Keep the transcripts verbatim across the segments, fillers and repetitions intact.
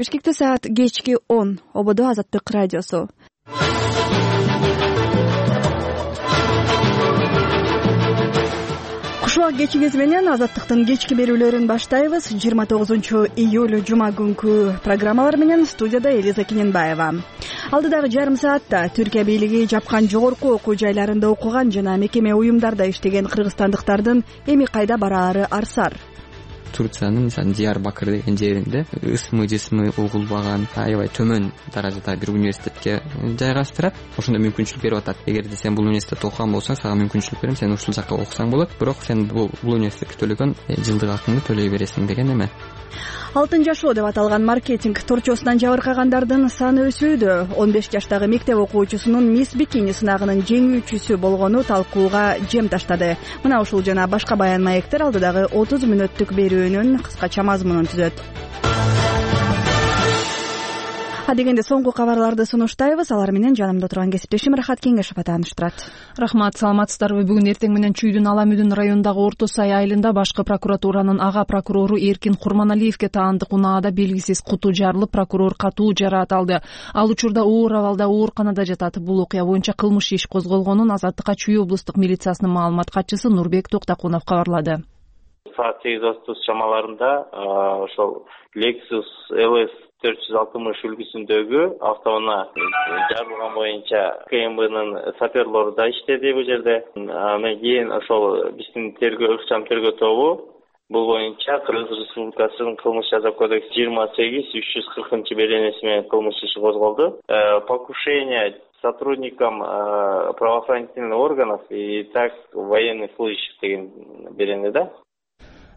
Бишкекте саат кечки он. Ободо Азаттык радиосу. Кушубак кечиңиз менен Азаттыктын кечки берүүлөрүн баштайбыз. жыйырма тогузунчу июль жума күнкү программалар менен студияда Элиза Кененбаева. Алдыдагы жарым саатта Түркия бийлиги жапкан жогорку окуу жайларында окуган жана мекеме уюмдарда иштеген кыргызстандыктардын эми кайда бараары арсар. Турциянын мисалы Диярбакыр деген жеринде ысмы жысмы угулбаган аябай төмөн даражада бир университетке жайгаштырат. Ошондо мүмкүнчүлүк берип атат. Эгерде сен бул университетте окуган болсоң, сага мүмкүнчүлүк берем, сен ушул жакка окусаң болот, бирок сен бул университетке төлөгөн жылдык акыңды төлөй бересиң деген эме. Алтын жашоо деп аталган маркетинг торчосунан жабыркагандардын саны өсүүдө. он беш жаштагы мектеп окуучусунун мисс Бикини сынагынын жеңүүчүсү болгону талкууга жем таштады. Мына ушул жана башка баян маектер алдыдагы отуз мүнөттүк берүүнүн кыскача мазмунун түзөт. А дегенде соңку кабарларды сунуштайбыз. Алар менен жанымда турган кесиптешим Рахат Кеңешов тааныштырат. Рахмат, саламатсыздарбы? Бүгүн эртең менен Чүйдүн Аламүдүн районундагы Орто Сай айылында башкы прокуратуранын ага прокурору Эркин Курманалиевке таандык унаада белгисиз куту жарылып, прокурор катуу жараат алды. Ал учурда оор абалда ооруканада жатат. Бул окуя боюнча кылмыш иш козголгонун Азаттыкка Чүй облустук милициясынын маалымат катчысы Нурбек Токтакунов кабарлады. Саат сегиз отуз чамаларында ошол Lexus эл эс төрт жүз алтымыш үлгүсүндөгү автоунаа жарылган боюнча КМБнын саперлору да иштеди бул жерде. Андан кийин ошол биздин тергөө ыкчам тергөө тобу бул боюнча Кыргыз Республикасынын кылмыш жаза кодекси жыйырма сегиз үч жүз кыркынчы беренеси менен кылмыш иши козголду. Покушение сотрудникам правоохранительных органов и так военных служащих деген берене да.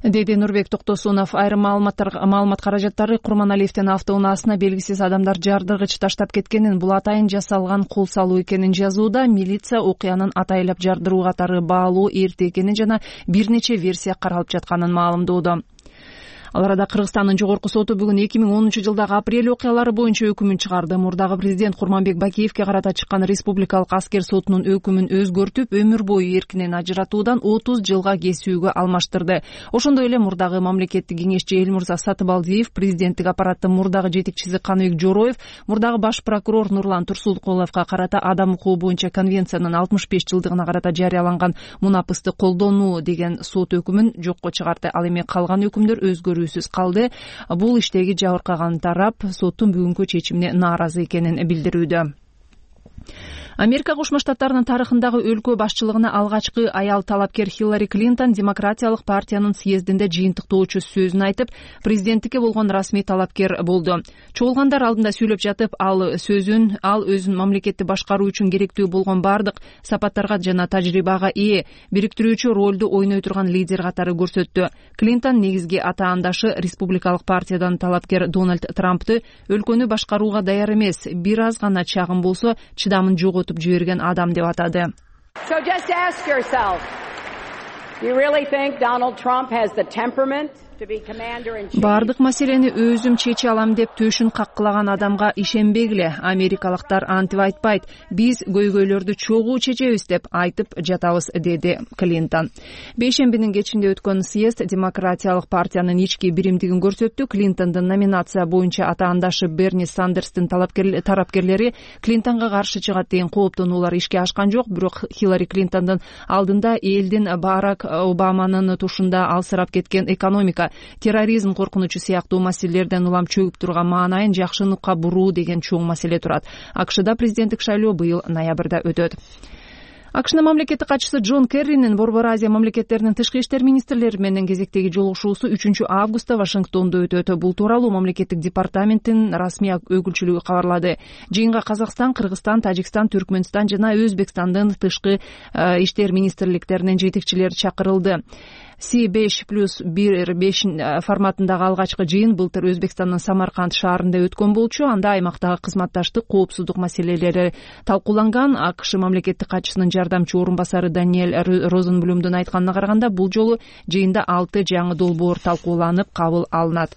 Деди Нурбек Токтосунов. Айрым маалымат каражаттары Курманалиевдин автоунаасына белгисиз адамдар жардыргыч таштап кеткенин, бул атайын жасалган кол салуу экенин жазууда. Милиция окуянын атайлап жардыруу катары баалуу эрте экенин жана бир нече версия каралып жатканын маалымдоодо. Ал арада Кыргызстандын жогорку соту бүгүн эки миң онунчу жылдагы апрель окуялары боюнча өкүмүн чыгарды. Мурдагы президент Курманбек Бакиевке карата чыккан республикалык аскер сотунун өкүмүн өзгөртүп, өмүр бою эркинен ажыратуудан отуз жылга кесүүгө алмаштырды. Ошондой эле мурдагы мамлекеттик кеңешчи Элмурза Сатыбалдиев, президенттик аппараттын мурдагы жетекчиси Каныбек Жороев, мурдагы баш прокурор Нурлан Турсулкуловго карата адам укугу боюнча конвенциянын алтымыш беш жылдыгына карата жарыяланган мунапысты колдонуу деген сот өкүмүн жокко чыгарды. Ал эми калган өкүмдөр өзгөрүү калды. Бул иштеги жабыркаган тарап соттун бүгүнкү чечимине нааразы экенин билдирүүдө. Америка Кошмо Штаттарынын тарыхындагы өлкө башчылыгына алгачкы аял талапкер Хиллари Клинтон Демократиялык партиянын съездинде жыйынтыктоочу сөзүн айтып, президенттикке болгон расмий талапкер болду. Чогулгандар алдында сүйлөп жатып, ал сөзүн ал өзүн мамлекетти башкаруу үчүн керектүү болгон бардык сапаттарга жана тажрыйбага ээ, бириктирүүчү ролду ойной турган лидер катары көрсөттү. Клинтон негизги атаандашы республикалык партиядан талапкер Дональд Трампты өлкөнү башкарууга даяр эмес, бир аз гана чагым болсо чыдамын жоготуп жиберген адам деп атады. So just ask yourself, do you really think Donald Trump has the temperament? Бардык маселени өзүм чече алам деп төшүн каккылаган адамга ишенбегиле. Америкалыктар антип айтпайт. Биз көйгөйлөрдү чогуу чечебиз деп айтып жатабыз, деди Клинтон. Бейшембинин кечинде өткөн съезд Демократиялык партиянын ички биримдигин көрсөттү. Клинтондун номинация боюнча атаандашы Берни Сандерстин тарапкерлери Клинтонго каршы чыгат деген кооптонуулар ишке ашкан жок, бирок Хиллари Клинтондун алдында элдин Барак Обаманын тушунда алсырап кеткен экономика, терроризм коркунучу сыяктуу маселелерден улам чөгүп турган маанайын жакшыныкка буруу деген чоң маселе турат. АКШда президенттик шайлоо быйыл ноябрда өтөт. АКШнын мамлекеттик катчысы Джон Керринин Борбор Азия мамлекеттеринин тышкы иштер министрлери менен кезектеги жолугушуусу үчүнчү августта Вашингтондо өтөт. Бул тууралуу мамлекеттик департаменттин расмий өкүлчүлүгү кабарлады. Жыйынга Казакстан, Кыргызстан, Тажикстан, Түркмөнстан жана Өзбекстандын тышкы иштер министрликтеринин жетекчилери чакырылды. Си беш плюс бир беш форматындагы алгачкы жыйын былтыр Өзбекстандын Самарканд шаарында өткөн болчу. Анда аймактагы кызматташтык, коопсуздук маселелери талкууланган. АКШ мамлекеттик катчысынын жардамчы орун басары Даниэль Розенблюмдун айтканына караганда, бул жолу жыйында алты жаңы долбоор талкууланып кабыл алынат.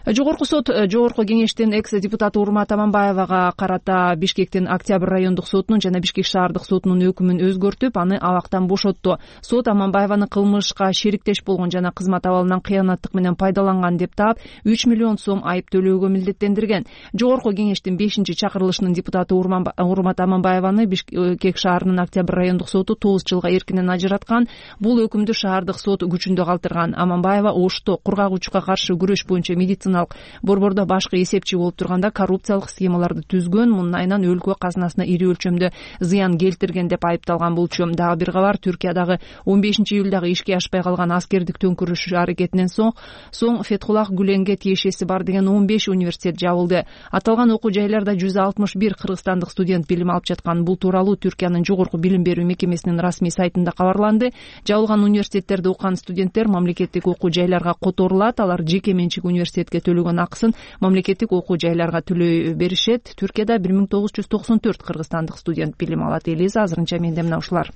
Жогорку сот Жогорку кеңештин экс депутаты Урмат Аманбаевага карата Бишкектин Октябрь райондук сотунун жана Бишкек шаардык сотунун өкүмүн өзгөртүп, аны абактан бошотту. Сот Аманбаеваны кылмышка шериктеш болгон жана кызмат абалынан кыянаттык менен пайдаланган деп таап, үч миллион сом айып төлөөгө милдеттендирген. Жогорку кеңештин бешинчи чакырылышынын депутаты Урмат Аманбаеваны Бишкек шаарынын Октябрь райондук соту тогуз жылга эркинен ажыраткан. Бул өкүмдү шаардык сот күчүндө калтырган. Аманбаева Ошто кургагучка каршы күрөш боюнча медициналык борбордо башкы эсепчи болуп турганда коррупциялык схемаларды түзгөн, мунун айынан өлкө казынасына ири өлчөмдө зыян келтирген деп айыпталган болчу. Дагы бир кабар, Түркиядагы он бешинчи июлдагы ишке ашпай калган аскердик төңкүрүш аракетинен соң соң Фетхуллах Гүленге тиешеси бар деген он беш университет жабылды. Аталган окуу жайларда жүз алтымыш бир кыргызстандык студент билим алып жаткан. Бул тууралуу Түркиянын жогорку билим берүү мекемесинин расмий сайтында кабарланды. Жабылган университеттерде окуган студенттер мамлекеттик окуу жайларга которулат. Алар жеке менчик университетке төлөгөн акысын мамлекеттик окуу жайларга төлөй беришет. Түркияда бир миң тогуз жүз токсон төрт кыргызстандык студент билим алат. Элиза, азырынча менде мына ушулар.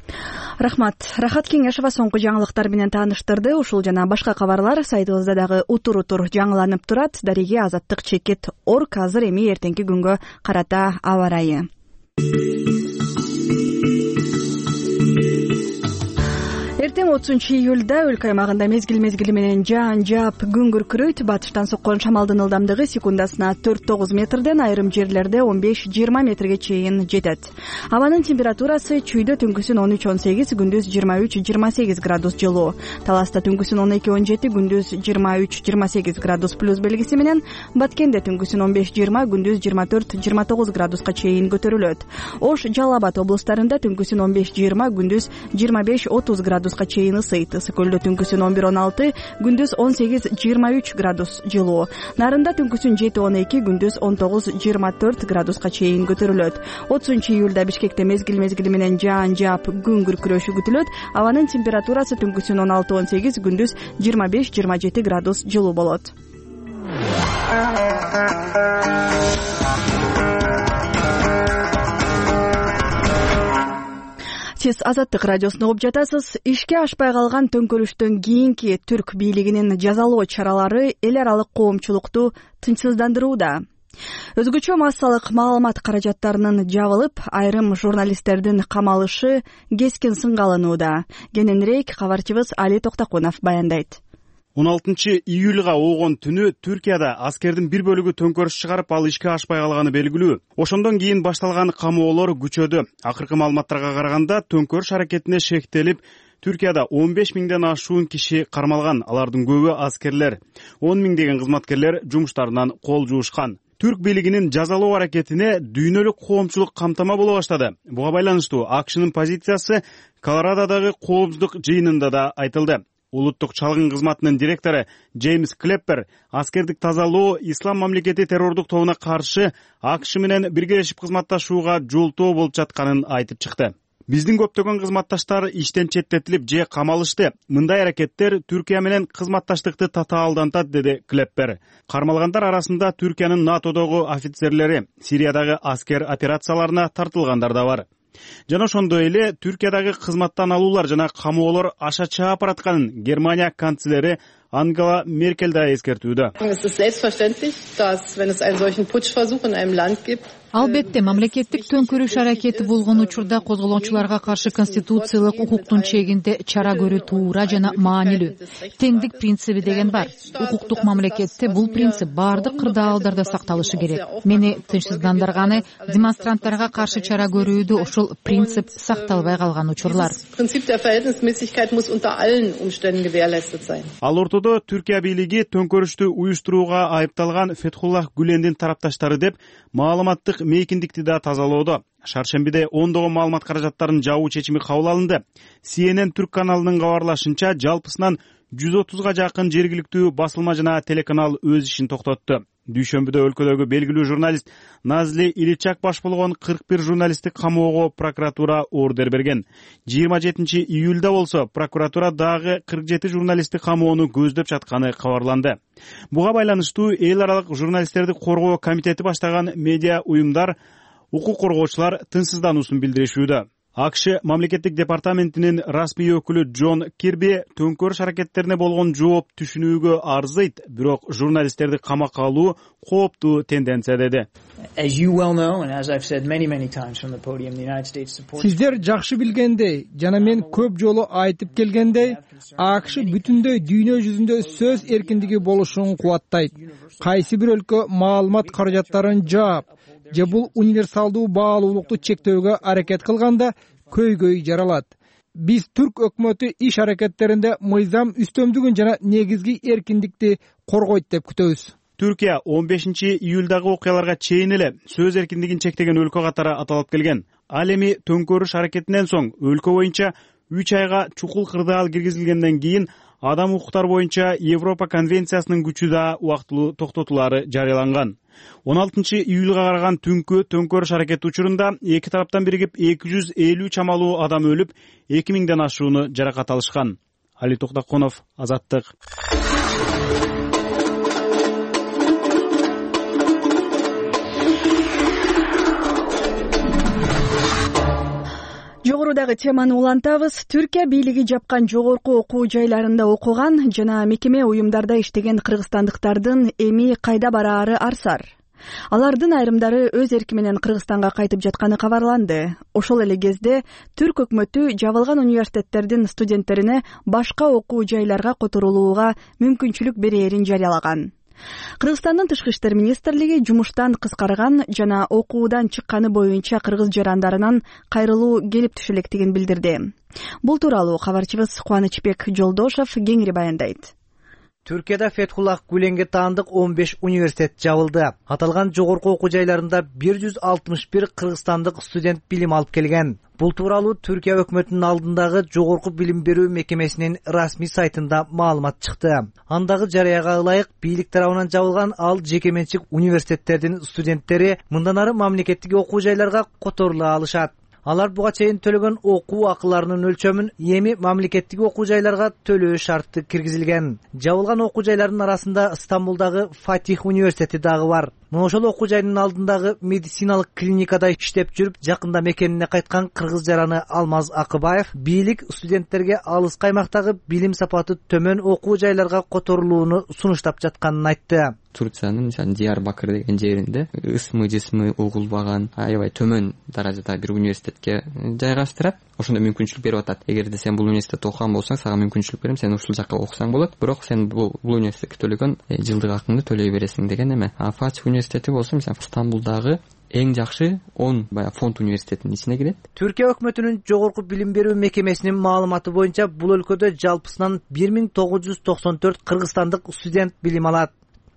Рахмат. Рахат Кеңешова соңку жаңылыктар менен тааныштырды. Ушул жана башка кабарлар сайтыбызда дагы утур-утур жаңыланып турат. Дареге азаттык чекит орг. Азыр эми эртеңки күнгө карата аба ырайы. Эртең отузунчу июлда өлкө аймагында мезгил мезгили менен жаан жаап күн күркүрөйт. Батыштан соккон шамалдын ылдамдыгы секундасына төрт тогуз метрден, айрым жерлерде он беш жыйырма метрге чейин жетет. Абанын температурасы чүйдө түнкүсүн он үч он сегиз, күндүз жыйырма үч жыйырма сегиз градус жылуу. Таласта түнкүсүн он эки он жети, күндүз жыйырма үч жыйырма сегиз градус плюс белгиси менен, Баткенде түнкүсүн он беш жыйырма, күндүз жыйырма төрт жыйырма тогуз градуска чейин көтөрүлөт. Ош, Жалал Абад облустарында түнкүсүн он беш жыйырма, күндүз жыйырма беш отуз градус чейин ысыйт. Ысык көлдө түнкүсүн он бир он алты, күндүз он сегиз жыйырма үч градус жылуу. Нарында түнкүсүн жети он эки, күндүз он тогуз жыйырма төрт градуска чейин көтөрүлөт. отузунчу июлда Бишкекте мезгил мезгили менен жаан жаап күн күркүрөшү күтүлөт. Абанын температурасы түнкүсүн он алты он сегиз, күндүз жыйырма беш жыйырма жети градус жылуу болот. Сиз Азаттык радиосуна угуп жатасыз. Ишке ашпай калган төңкөрүштөн кийинки түрк бийлигинин жазалоо чаралары эл аралык коомчулукту тынчсыздандырууда. Өзгөчө массалык маалымат каражаттарынын жабылып, айрым журналисттердин камалышы кескин сынга алынууда. Кененирээк кабарчыбыз Али Токтокунов баяндайт. он алтынчы июлга оогон түнү Түркияда аскердин бир бөлүгү төңкөрүш чыгарып, ал ишке ашпай калганы белгилүү. Ошондон кийин башталган камоолор күчөдү. Акыркы маалыматтарга караганда төңкөрүш аракетине шектелип, Түркияда он беш миңден ашуун киши кармалган. Алардын көбү аскерлер. он миңдеген кызматкерлер жумуштарынан кол жуушкан. Түрк бийлигинин жазалоо аракетине дүйнөлүк коомчулук камтама боло баштады. Буга байланыштуу АКШнын позициясы Колорадодогу коопсуздук жыйынында да айтылды. Улуттук чалгын кызматынын директору Джеймс Клеппер аскердик тазалоо ислам мамлекети террордук тобуна каршы АКШ менен биргелешип кызматташууга жолтоо болуп жатканын айтып чыкты. Биздин көптөгөн кызматташтар иштен четтетилип же камалышты. Мындай аракеттер Түркия менен кызматташтыкты татаалдантат, деди Клеппер. Кармалгандар арасында Түркиянын НАТОдогу офицерлери, Сириядагы аскер операцияларына тартылгандар да бар. Жана ошондой эле Түркиядагы кызматтан алуулар жана камоолор аша чаап баратканын Германия канцлери Ангела Меркель да эскертүүдө. Албетте, мамлекеттик төңкөрүш аракети болгон учурда козголоочуларга каршы конституциялык укуктун чегинде чара көрүү туура жана маанилүү. Теңдик принциби деген бар. Укуктук мамлекетте бул принцип баардык кырдаалдарда сакталышы керек. Мени тынчсыздандырганы демонстранттарга каршы чара көрүүдө ошол принцип сакталбай калган учурлар. Ал ортодо Түркия бийлиги төңкөрүштү уюштурууга айыпталган Фетхуллах Гүлендин тарапташтары деп маалыматтык мейкиндикти да тазалоодо. Шаршембиде ондогон маалымат каражаттарын жабуу чечими кабыл алынды. Си Эн Эн Түрк каналынын кабарлашынча, жалпысынан жүз отузга жакын жергиликтүү басылма жана телеканал өз ишин токтотту. Дүйшөмбүдө өлкөдөгү белгилүү журналист Назли Иличак баш болгон кырк бир журналистти камоого прокуратура ордер берген. жыйырма жетинчи июлда болсо прокуратура дагы кырк жети журналистти камоону көздөп жатканы кабарланды. Буга байланыштуу эл аралык журналисттерди коргоо комитети баштаган медиа уюмдар укук коргоочулар тынчсыздануусун билдиришүүдө. АКШ мамлекеттик департаментинин расмий өкүлү Джон Кирби төңкөрүш аракеттерине болгон жооп түшүнүүгө арзыйт, бирок журналисттерди камакка алуу кооптуу тенденция деди. Сиздер жакшы билгендей жана мен көп жолу айтып келгендей, АКШ бүтүндөй дүйнө жүзүндө сөз эркиндиги болушун кубаттайт. Кайсы бир өлкө маалымат каражаттарын жаап же бул универсалдуу баалуулукту чектөөгө аракет кылганда көйгөй жаралат. Биз түрк өкмөтү иш аракеттеринде мыйзам үстөмдүгүн жана негизги эркиндикти коргойт деп күтөбүз. Түркия он бешинчи июлдагы окуяларга чейин эле сөз эркиндигин чектеген өлкө катары аталып келген. Ал эми төңкөрүш аракетинен соң өлкө боюнча үч айга чукул кырдаал киргизилгенден кийин адам укуктары боюнча Европа конвенциясынын күчү да убактылуу токтотулаары жарыяланган. он алтынчы июлга караган түнкү төңкөрүш аракети учурунда эки тараптан биригип эки жүз элүү чамалуу адам өлүп, эки миңден ашууну жаракат алышкан. Али Токтоконов, Азаттык. Жогорудагы теманы улантабыз. Түркия бийлиги жапкан жогорку окуу жайларында окуган жана мекеме уюмдарда иштеген кыргызстандыктардын эми кайда бараары арсар. Алардын айрымдары өз эрки менен Кыргызстанга кайтып жатканы кабарланды. Ошол эле кезде түрк өкмөтү жабылган университеттердин студенттерине башка окуу жайларга которулууга мүмкүнчүлүк берээрин жарыялаган. Кыргызстандын тышкы иштер министрлиги жумуштан кыскарган жана окуудан чыкканы боюнча кыргыз жарандарынан кайрылуу келип түшө электигин билдирди. Бул тууралуу кабарчыбыз Кубанычбек Жолдошов кеңири баяндайт. Түркияда Фетхуллах Гүленге таандык он беш университет жабылды. Аталган жогорку окуу жайларында бир жүз алтымыш бир кыргызстандык студент билим алып келген. Бул тууралуу Түркия өкмөтүнүн алдындагы жогорку билим берүү мекемесинин расмий сайтында маалымат чыкты. Андагы жарыяга ылайык, бийлик тарабынан жабылган ал жеке менчик университеттердин студенттери мындан ары мамлекеттик окуу жайларга которула алышат. Алар буга чейин төлөгөн окуу акыларынын өлчөмүн эми мамлекеттик окуу жайларга төлөө шарты киргизилген. Жабылган окуу жайлардын арасында Стамбулдагы Фатих университети дагы бар. Мына ошол окуу жайдын алдындагы медициналык клиникада иштеп жүрүп, жакында мекенине кайткан кыргыз жараны Алмаз Акыбаев бийлик студенттерге алыс каймактагы билим сапаты төмөн окуу жайларга которулууну сунуштап жатканын айтты. Турциянын Диярбакыр деген жеринде ысмы жисмы угулбаган аябай төмөн даражада бир университетке жайгаштырат. Ошондо мүмкүнчүлүк берип атат. Эгерде сен бул университетте окуган болсоң, сага мүмкүнчүлүк берем, сен ушул жакка окусаң болот, бирок сен бул бул университетке төлөгөн жылдык акыңды төлөй бересиң деген эме. А Фатих университети болсо, мисалы Стамбулдагы эң жакшы он бая фонд университетинин ичине кирет. Түркия өкмөтүнүн жогорку билим берүү мекемесинин маалыматы боюнча бул өлкөдө жалпысынан бир миң тогуз жүз токсон төрт кыргызстандык студент билим алат.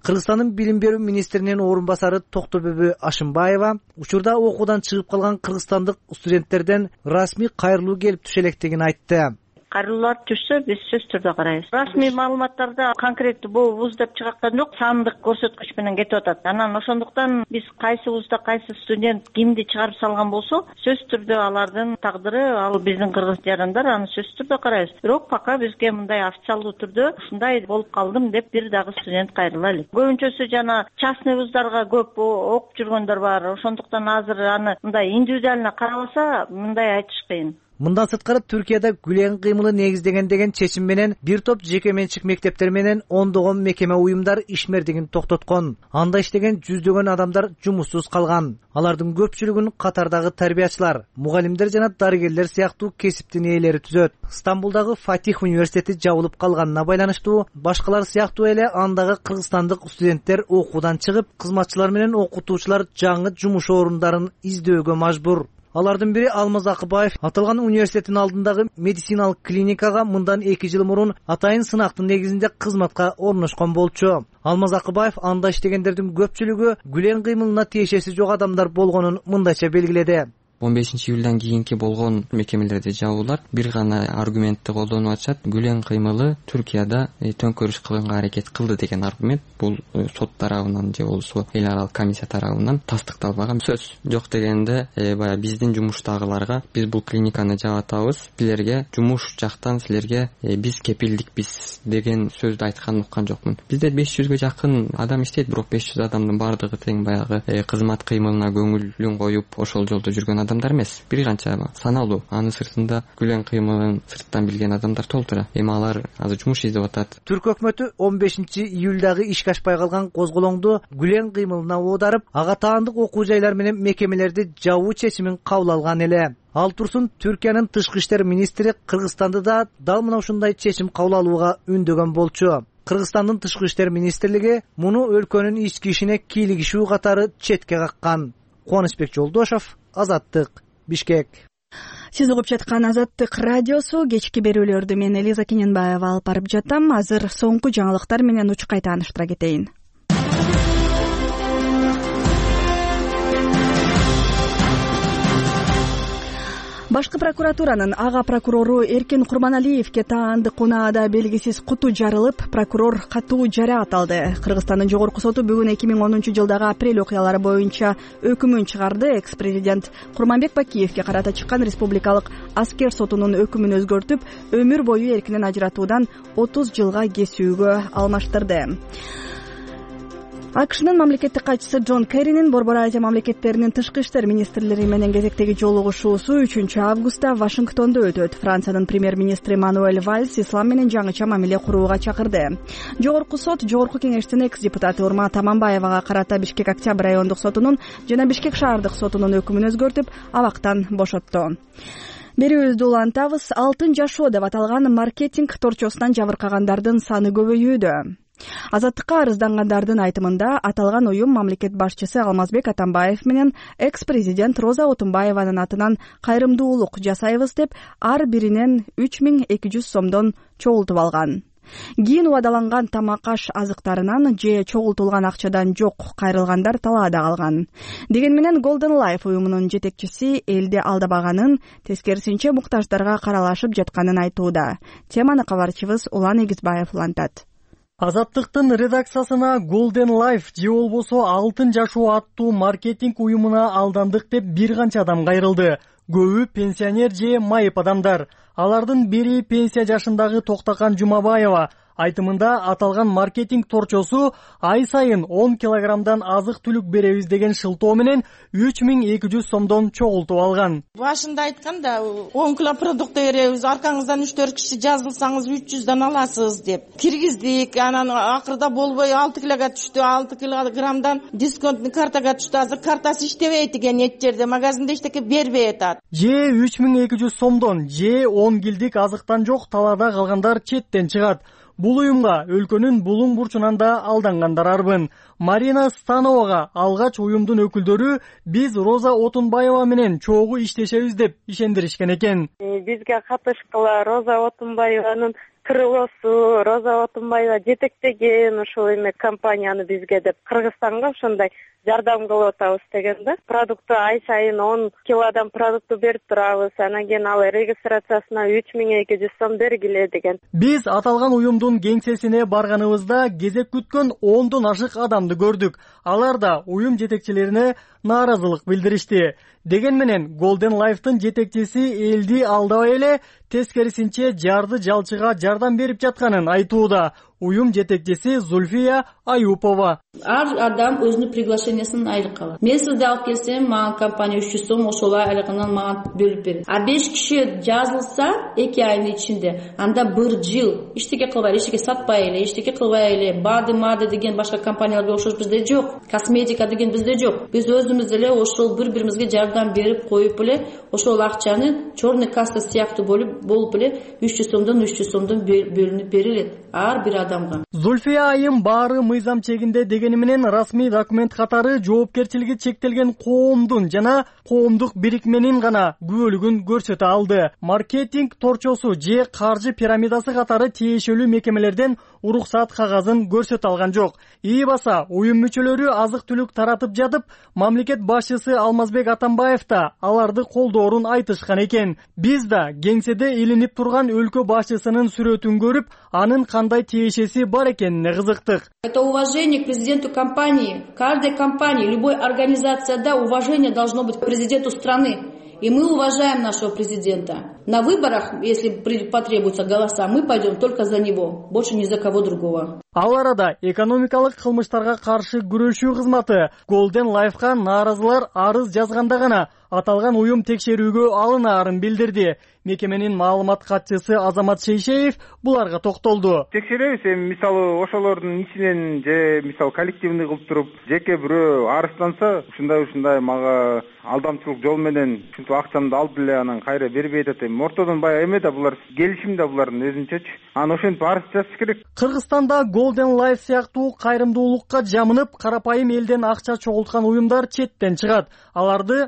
Кыргызстандын билим берүү министринин орун басары Токтобөбү Ашымбаева учурда окуудан чыгып калган кыргызстандык студенттерден расмий кайрылуу келип түшө электигин айтты. Кайрылуулар түшсө, биз сөз түрдө карайбыз. Расмий маалыматтарда конкреттүү бул вуз деп чыгаткан жок, сандык көрсөткүч менен кетип атат. Анан ошондуктан биз кайсы вузда кайсы студент кимди чыгарып салган болсо, сөз түрдө алардын тагдыры, ал биздин кыргыз жарандар, аны сөз түрдө карайбыз. Бирок пока бизге мындай официалдуу түрдө ушундай болуп калдым деп бир дагы студент кайрыла элек. Көбүнчөсү жана частный вуздарга көп окуп жүргөндөр бар. Ошондуктан азыр аны мындай индивидуально карабаса, мындай айтыш кыйын. Мындан сырткары Түркияда Гүлен кыймылы негиздеген деген чечим менен бир топ жеке менчик мектептер менен ондогон мекеме уюмдар ишмердигин токтоткон. Анда иштеген жүздөгөн адамдар жумуссуз калган. Алардын көпчүлүгүн катардагы тарбиячылар, мугалимдер жана дарыгерлер сыяктуу кесиптин ээлери түзөт. Стамбулдагы Фатих университети жабылып калганына байланыштуу башкалар сыяктуу эле андагы кыргызстандык студенттер окуудан чыгып, кызматчылар менен окутуучулар жаңы жумуш орундарын издөөгө мажбур. Алардын бири Алмаз Акыбаев аталган университеттин алдындагы медициналык клиникага мындан эки жыл мурун атайын сынактын негизинде кызматка орношкон болчу. Алмаз Акыбаев анда иштегендердин көпчүлүгү Гүлен кыймылына тиешеси жок адамдар болгонун мындайча белгиледи. он бешинчи июлдан кийинки болгон мекемелерди жабуулар бир гана аргументти колдонуп атышат. Гүлен кыймылы Түркияда төңкөрүш кылганга аракет кылды деген аргумент. Бул сот тарабынан же болбосо эл аралык комиссия тарабынан тастыкталбаган сөз. Жок дегенде баягы биздин жумуштагыларга биз бул клиниканы жабатабыз, силерге жумуш жактан силерге биз кепилдикпиз деген сөздү айтканын уккан жокмун. Бизде беш жүзгө жакын адам иштейт, бирок беш жүз адамдын баардыгы тең баягы кызмат кыймылына көңүлүн коюп ошол жолдо жүргөн адамдар эмес, бир канча саналуу. Анын сыртында күлөң кыймылын сырттан билген адамдар толтура. Эми алар азыр жумуш издеп атат. Түрк өкмөтү он бешинчи июлдагы ишке ашпай калган козголоңду күлөң кыймылына оодарып, ага таандык окуу жайлар менен мекемелерди жабуу чечимин кабыл алган эле. Ал турсун Түркиянын тышкы иштер министри Кыргызстанды да дал мына ушундай чечим кабыл алууга үндөгөн болчу. Кыргызстандын тышкы иштер министрлиги муну өлкөнүн ички ишине кийлигишүү катары четке каккан. Кубанычбек Жолдошов, Азаттык, Бишкек. Сиз угуп жаткан Азаттык радиосу. Кечки берүүлөрдү мен Элиза Кененбаева алып барып жатам. Азыр соңку жаңылыктар менен учкай тааныштыра кетейин. Башкы прокуратуранын ага прокурору Эркин Курманалиевке таандык унаада белгисиз куту жарылып, прокурор катуу жараат алды. Кыргызстандын жогорку соту бүгүн эки миң онунчу жылдагы апрель окуялары боюнча өкүмүн чыгарды. Экс-президент Курманбек Бакиевке карата чыккан республикалык аскер сотунун өкүмүн өзгөртүп, өмүр бою эркинен ажыратуудан отуз жылга кесүүгө алмаштырды. АКШнын мамлекеттик катчысы Джон Керринин Борбор Азия мамлекеттеринин тышкы иштер министрлери менен кезектеги жолугушуусу үчүнчү августта Вашингтондо өтөт. Франциянын премьер-министри Мануэль Вальс ислам менен жаңыча мамиле курууга чакырды. Жогорку сот Жогорку кеңештин экс-депутаты Урмат Аманбаевага карата Бишкек Октябрь райондук сотунун жана Бишкек шаардык сотунун өкүмүн өзгөртүп, абактан бошотту. Берүүбүздү улантабыз. Алтын жашоо деп аталган маркетинг торчосунан жабыркагандардын саны көбөйүүдө. Азаттыкка арыздангандардын айтымында аталган уюм мамлекет башчысы Алмазбек Атамбаев менен экс-президент Роза Отунбаеванын атынан кайрымдуулук жасайбыз деп ар биринен үч миң эки жүз сомдон чогултуп алган. Кийин убадаланган тамак-аш азыктарынан же чогултулган акчадан жок кайрылгандар талаада калган. Деген менен Golden Life уюмунун жетекчиси элди алдабаганын, тескерисинче муктаждарга каралашып жатканын айтууда. Теманы кабарчыбыз Улан Эгизбаев улантат. Азаттыктын редакциясына Golden Life же болбосо Алтын жашоо аттуу маркетинг уюмуна алдандык деп бир канча адам кайрылды. Көбү пенсионер же майып адамдар. Алардын бири пенсия жашындагы Токтакан Жумабаева. Айтымында аталган маркетинг торчосу ай сайын он килограммдан азык түлүк беребиз деген шылтоо менен үч миң эки жүз сомдон чогултуп алган. Башында айтканда он кило продукт беребиз, аркаңыздан үч төрт киши жазылсаңыз үч жүздөн аласыз деп. Киргиздик, анан акырда болбой алты килога түштү, алты килограммдан дисконтный картага түштү. Азыр картасы иштебейт экен эч жерде, магазинде эчтеке бербей атат. Же үч миң эки жүз сомдон, же он килдик азыктан жок талаада калгандар четтен чыгат. Бул уюмга өлкөнүн булуң бурчунан да алдангандар арбын. Марина Становага алгач уюмдун өкүлдөрү биз Роза Отунбаева менен чогуу иштешебиз деп ишендиришкен экен. Бизге катышкыла Роза Отунбаеванын кырылуусу, Роза Отунбаева жетектеген ушул эме компанияны бизге деп Кыргызстанга ошондой жардам кылып атабыз деген да. Продукту ай сайын он килодан продукту берип турабыз. Анан кийин ал регистрациясына үч миң эки жүз сом бергиле деген. Биз аталган уюмдун кеңсесине барганыбызда кезек күткөн ондон ашык адамды көрдүк. Алар да уюм жетекчилерине нааразылык билдиришти. Деген менен Golden Life'тын жетекчиси элди алдабай эле тескерисинче жарды жалчыга жардам берип жатканын айтууда. Уюм жетекчиси Зульфия Аюпова. Ар адам өзүнүн приглашениясын айрып калат. Мен сизди алып келсем, мага компания үч жүз сом ошолай айрыгынан мага бөлүп берет. А беш киши жазылса эки айдын ичинде, анда бир жыл иштеке кылбай, эчтеке сатпай эле, эчтеке кылбай эле, бады мады деген башка компанияларга окшош бизде жок. Косметика деген бизде жок. Биз өзүбүз эле ошол бири-бирибизге жардам берип коюп эле, ошол акчаны черный касса сыяктуу болуп болуп эле үч жүз сомдон үч жүз сомдон бөлүнүп берилет ар бир адамга. Зульфия айым баары мыйзам чегинде дегени менен расмий документ катары жоопкерчилиги чектелген коомдун жана коомдук бирикменин гана күбөлүгүн көрсөтө алды. Маркетинг торчосу же каржы пирамидасы катары тиешелүү мекемелерден уруксат кагазын көрсөтө алган жок. Ии баса уюм мүчөлөрү азык түлүк таратып жатып, мамлекет башчысы Алмазбек Атамбаев да аларды колдоорун айтышкан экен. Биз да кеңседе илинип турган өлкө башчысынын сүрөтүн көрүп, анын кандай тиешеси бар экенине кызыктык. Это уважение к президенту компании. В каждой компании, любой организации, да, уважение должно быть к президенту страны. И мы уважаем нашего президента. На выборах, если потребуется голоса, мы пойдем только за него, больше ни за кого другого. Ал арада экономикалык кылмыштарга каршы күрөшүү кызматы Golden Life'га нааразылар арыз жазганда гана аталган уюм текшерүүгө алынаарын билдирди. Мекеменин маалымат катчысы Азамат Шейшеев буларга токтолду. Текшеребиз, эми мисалы ошолордун ичинен же мисалы коллективный кылып туруп, жеке бирөө арызданса, ушундай ушундай мага алдамчылык жол менен ушинтип акчамды алып эле анан кайра бербей атат. Эми ортодон баягы эме да булар келишим да булардын өзүнчөчү. Анан ошентип арыз жазыш керек. Кыргызстанда Golden Life сыяктуу кайрымдуулукка жамынып, карапайым элден акча чогулткан уюмдар четтен чыгат. Аларды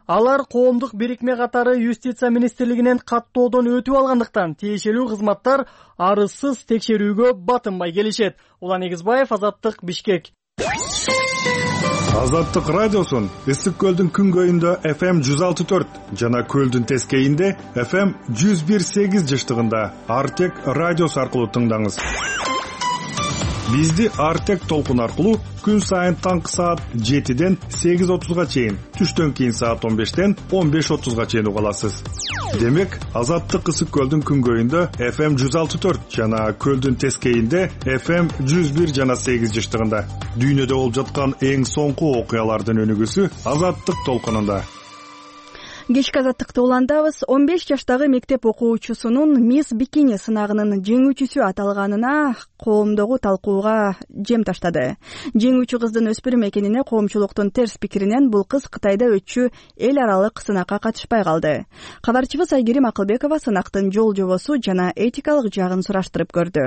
Алар коомдук бирикме катары юстиция министрлигинен каттоодон өтүп алгандыктан тиешелүү кызматтар арызсыз текшерүүгө батынбай келишет. Улан Эгизбаев, Азаттык, Бишкек. Азаттык радиосун Ысык көлдүн күнгөйүндө эф эм жүз алты төрт жана көлдүн тескейинде эф эм жүз бир сегиз жыштыгында Артек радиосу аркылуу тыңдаңыз. Бизди Артек толкун аркылуу күн сайын таңкы саат жетиден сегиз отузга чейин, түштөн кийин саат он бештен он беш отузга чейин уга аласыз. Демек, Азаттык Ысык көлдүн күнгөйүндө эф эм жүз алты төрт жана көлдүн тескейинде эф эм жүз бир жана сегиз жыштыгында дүйнөдө болуп жаткан эң соңку окуялардын өнүгүүсү Азаттык толкунунда. Кечки Азаттыкты уландабыз. он беш жаштагы мектеп окуучусунун Мисс Бикини сынагынын жеңүүчүсү аталганына коомдогу талкууга жем таштады. Жеңүүчү кыздын өспүрүм экенине коомчулуктун терс пикиринен бул кыз Кытайда өтчү эл аралык сынакка катышпай калды. Кабарчыбыз Айгерим Акылбекова сынактын жол жобосу жана этикалык жагын сураштырып көрдү.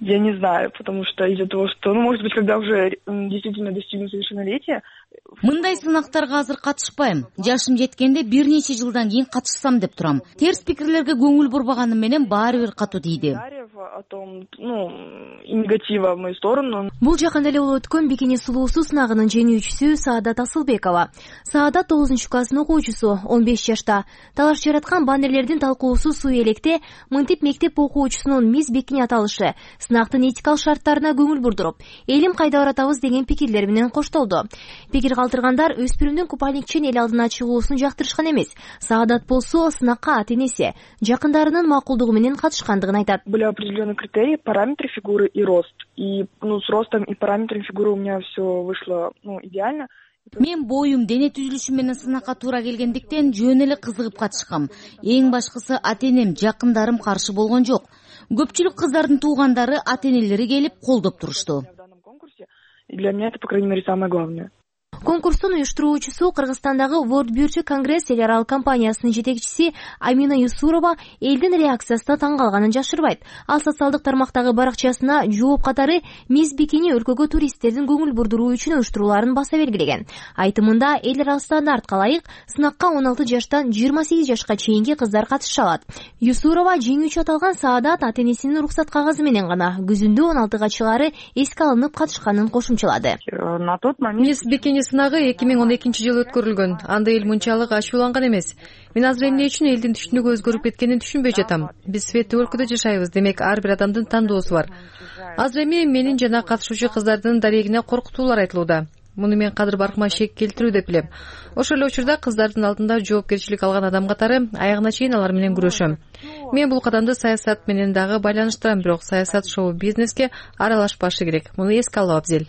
Я не знаю, потому что из-за того, что, ну, может быть, когда уже действительно достигну совершеннолетия. Мындай сынактарга азыр катышпайм. Жашым жеткенде бир нече жылдан кийин катышсам деп турам. Терс пикирлерге көңүл бурбаганым менен баары бир катуу тийди. О том, ну, негатива в мою сторону. Бул жакында эле болуп өткөн Бикини сулуусу сынагынын жеңүүчүсү Саадат Асылбекова. Саадат тогузунчу класстын окуучусу, он беш жашта. Талаш жараткан баннерлердин талкуусу суу электе мынтип мектеп окуучусунун Мисс Бикини аталышы сынактын этикалык шарттарына көңүл бурдуруп, элим кайда баратабыз деген пикирлер менен коштолду. Пикир калтыргандар өспүрүмдүн купальникчен эл алдына чыгуусун жактырышкан эмес. Саадат болсо сынакка ата-энеси, жакындарынын макулдугу менен катышкандыгын айтат. Были определенные критерии, параметры фигуры и рост. И, ну, с ростом и параметрами фигуры у меня все вышло, ну, идеально. Мен боюм, дене түзүлүшүм менен сынакка туура келгендиктен жөн эле кызыгып катышкам. Эң башкысы ата-энем, жакындарым каршы болгон жок. Көпчүлүк кыздардын туугандары, ата-энелери келип колдоп турушту. Для меня это, по крайней мере, самое главное. Конкурстун уюштуруучусу Кыргызстандагы World Beauty Congress эл аралык компаниясынын жетекчиси Амина Юсурова элдин реакциясына таң калганын жашырбайт. Ал социалдык тармактагы баракчасына жооп катары Мисс Бикини өлкөгө туристтердин көңүл бурдуруу үчүн уюштурууларын баса белгилеген. Айтымында эл аралык стандартка ылайык сынакка он алты жаштан жыйырма сегиз жашка чейинки кыздар катыша алат. Юсурова жеңүүчү аталган Саадат ата-энесинин уруксат кагазы менен гана күзүндө он алтыга чыгары эске алынып катышканын кошумчалады. На тот момент Мисс Бикини сынагы эки миң он экинчи жылы өткөрүлгөн. Анда эл мынчалык ачууланган эмес. Мен азыр эмне үчүн элдин түшүнүгү өзгөрүп кеткенин түшүнбөй жатам. Биз светтүү өлкөдө жашайбыз, демек ар бир адамдын тандоосу бар. Азыр эми менин жана катышуучу кыздардын дарегине коркутуулар айтылууда. Муну мен кадыр баркыма шек келтирүү деп билем. Ошол эле учурда кыздардын алдында жоопкерчилик алган адам катары аягына чейин алар менен күрөшөм. Мен бул кадамды саясат менен дагы байланыштырам, бирок саясат шоу-бизнеске аралашпашы керек. Муну эске алуу абзел.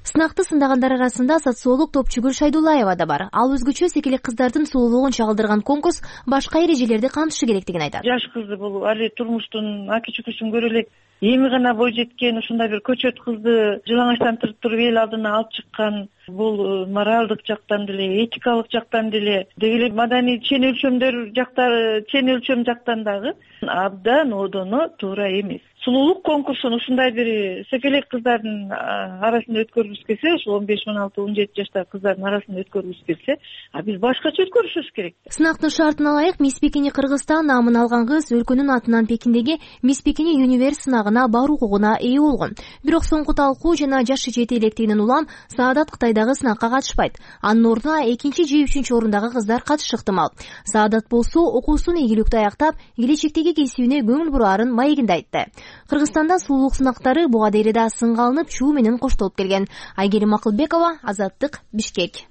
Сынакты сындагандар арасында социолог Топчугүл Шайдулаева да бар. Ал өзгөчө секелек кыздардын сулуулугун чагылдырган конкурс башка эрежелерди камтышы керектигин айтат. Жаш кызды бул али турмуштун аки-чүкүсүн көрө элек, эми гана бой жеткен ушундай бир көчөт кызды жылаңачтантырып туруп эл алдына алып чыккан, бул моралдык жактан деле, этикалык жактан деле, деги эле маданий чен өлчөмдөр жактары, чен өлчөм жактан дагы абдан одоно туура эмес. Сулуулук конкурсун ушундай бир секелек кыздардын арасында өткөрүлүш келсе, ошол он беш, он алты, он жети жаштагы кыздардын арасында өткөрүлүш келсе, а биз башкача өткөрүшүбүз керек. Сынактын шартына ылайык Мисс Бикини Кыргызстан намын алган кыз өлкөнүн атынан Пекиндеги Мисс Бикини Universe сынагына баруу укугуна ээ болгон. Бирок соңку талкуу жана жашы жете электигинен улам Саадат Кытайдагы сынакка катышпайт. Анын ордуна экинчи же үчүнчү орундагы кыздар катышы ыктымал. Саадат болсо окуусун ийгиликтүү аяктап, келечектеги кесибине көңүл бураарын маегинде айтты. Кыргызстанда сулуулук сынактары буга дейре да сынга алынып, чуу менен коштолуп келген. Айгерим Акылбекова, Азаттык, Бишкек.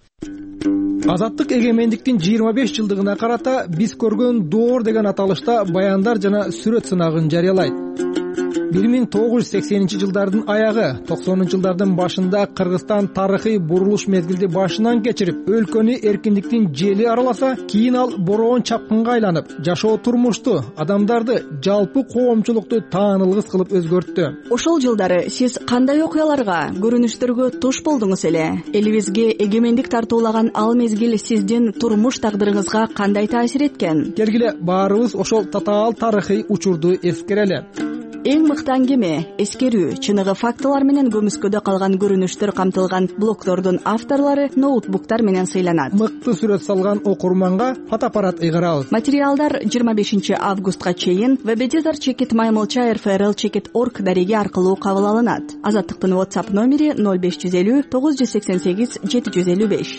Азаттык эгемендиктин жыйырма беш жылдыгына карата биз көргөн доор деген аталышта баяндар жана сүрөт сынагын жарыялайт. бир миң тогуз жүз сексенинчи жылдардын аягы, токсонунчу жылдардын башында Кыргызстан тарыхый бурулуш мезгилди башынан кечирип, өлкөнү эркиндиктин жели араласа, кийин ал бороон чапкынга айланып, жашоо турмушту, адамдарды, жалпы коомчулукту таанылгыс кылып өзгөрттү. Ошол жылдары сиз кандай окуяларга, көрүнүштөргө туш болдуңуз эле? Элибизге эгемендик тартуулаган ал мезгил сиздин турмуш тагдырыңызга кандай таасир эткен? Келгиле баарыбыз ошол татаал тарыхый учурду эскерели. Эң мыкты аңгеме, эскерүү, чыныгы фактылар менен көмүскөдө калган көрүнүштөр камтылган блогдордун авторлору ноутбуктар менен сыйланат. Мыкты сүрөт салган окурманга фотоаппарат ыйгарабыз. Материалдар жыйырма бешинчи августка чейин веб-эдитор чекит маймылча эр эф эр эл чекит орг дареги аркылуу кабыл алынат. Азаттыктын WhatsApp номери ноль беш жүз элүү тогуз жүз сексен сегиз жети жүз элүү беш.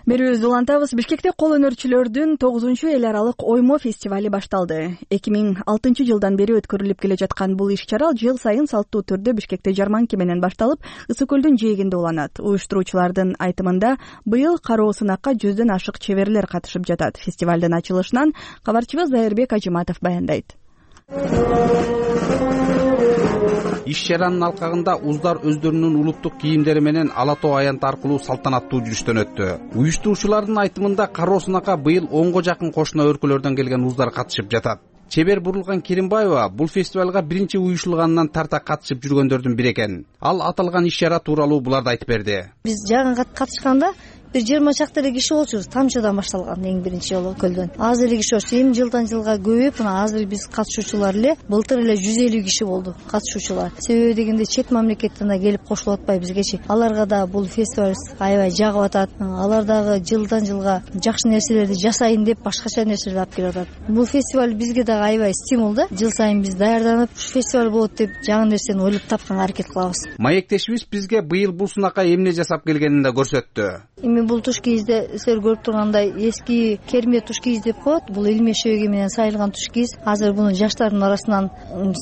Берүүбүздү улантабыз. Бишкекте кол өнөрчүлөрдүн тогузунчу эл аралык оймо фестивали башталды. эки миң алтынчы жылдан бери өткөрүлүп келе жаткан бул иш-чара жыл сайын салттуу түрдө Бишкекте жарманке менен башталып, Ысык көлдүн жээгинде уланат. Уюштуруучулардын айтымында быйыл кароо сынакка жүздөн ашык чеберлер катышып жатат. Фестивалдын ачылышынан кабарчыбыз Зайырбек Ажыматов баяндайт. Иш-чаранын алкагында уздар өздөрүнүн улуттук кийимдери менен ала тоо аянты аркылуу салтанаттуу жүрүштөн өттү. Уюштуруучулардын айтымында кароо сынакка быйыл онго жакын кошуна өлкөлөрдөн келген уздар катышып жатат. Чебер Бурулган Керимбаева бул фестивалга биринчи уюшулганынан тарта катышып жүргөндөрдүн бири экен. Ал аталган иш-чара тууралуу буларды айтып берди. Биз жагын катышканда бир жыйырма чакты эле киши болчубуз. Тамчыдан башталган эң биринчи жолу көлдөн. Азыр эле киши болчу. Эми жылдан жылга көбөйүп, мына азыр биз катышуучулар эле былтыр эле жүз элүү киши болду катышуучулар. Себеби дегенде чет мамлекеттен да келип кошулуп атпайбы бизгечи. Аларга да бул фестиваль аябай жагып атат. Алар дагы жылдан жылга жакшы нерселерди жасайын деп башкача нерселерди алып келип атат. Бул фестиваль бизге дагы аябай стимул да. Жыл сайын биз даярданып, ушу фестиваль болот деп жаңы нерсени ойлоп тапканга аракет кылабыз. Маектешибиз бизге быйыл бул сынакка эмне жасап келгенин да көрсөттү. Эми бул туш кийизде силер көрүп тургандай эски керме туш кийиз деп коет. Бул илме шөйгө менен сайылган туш кийиз. Азыр муну жаштардын арасынан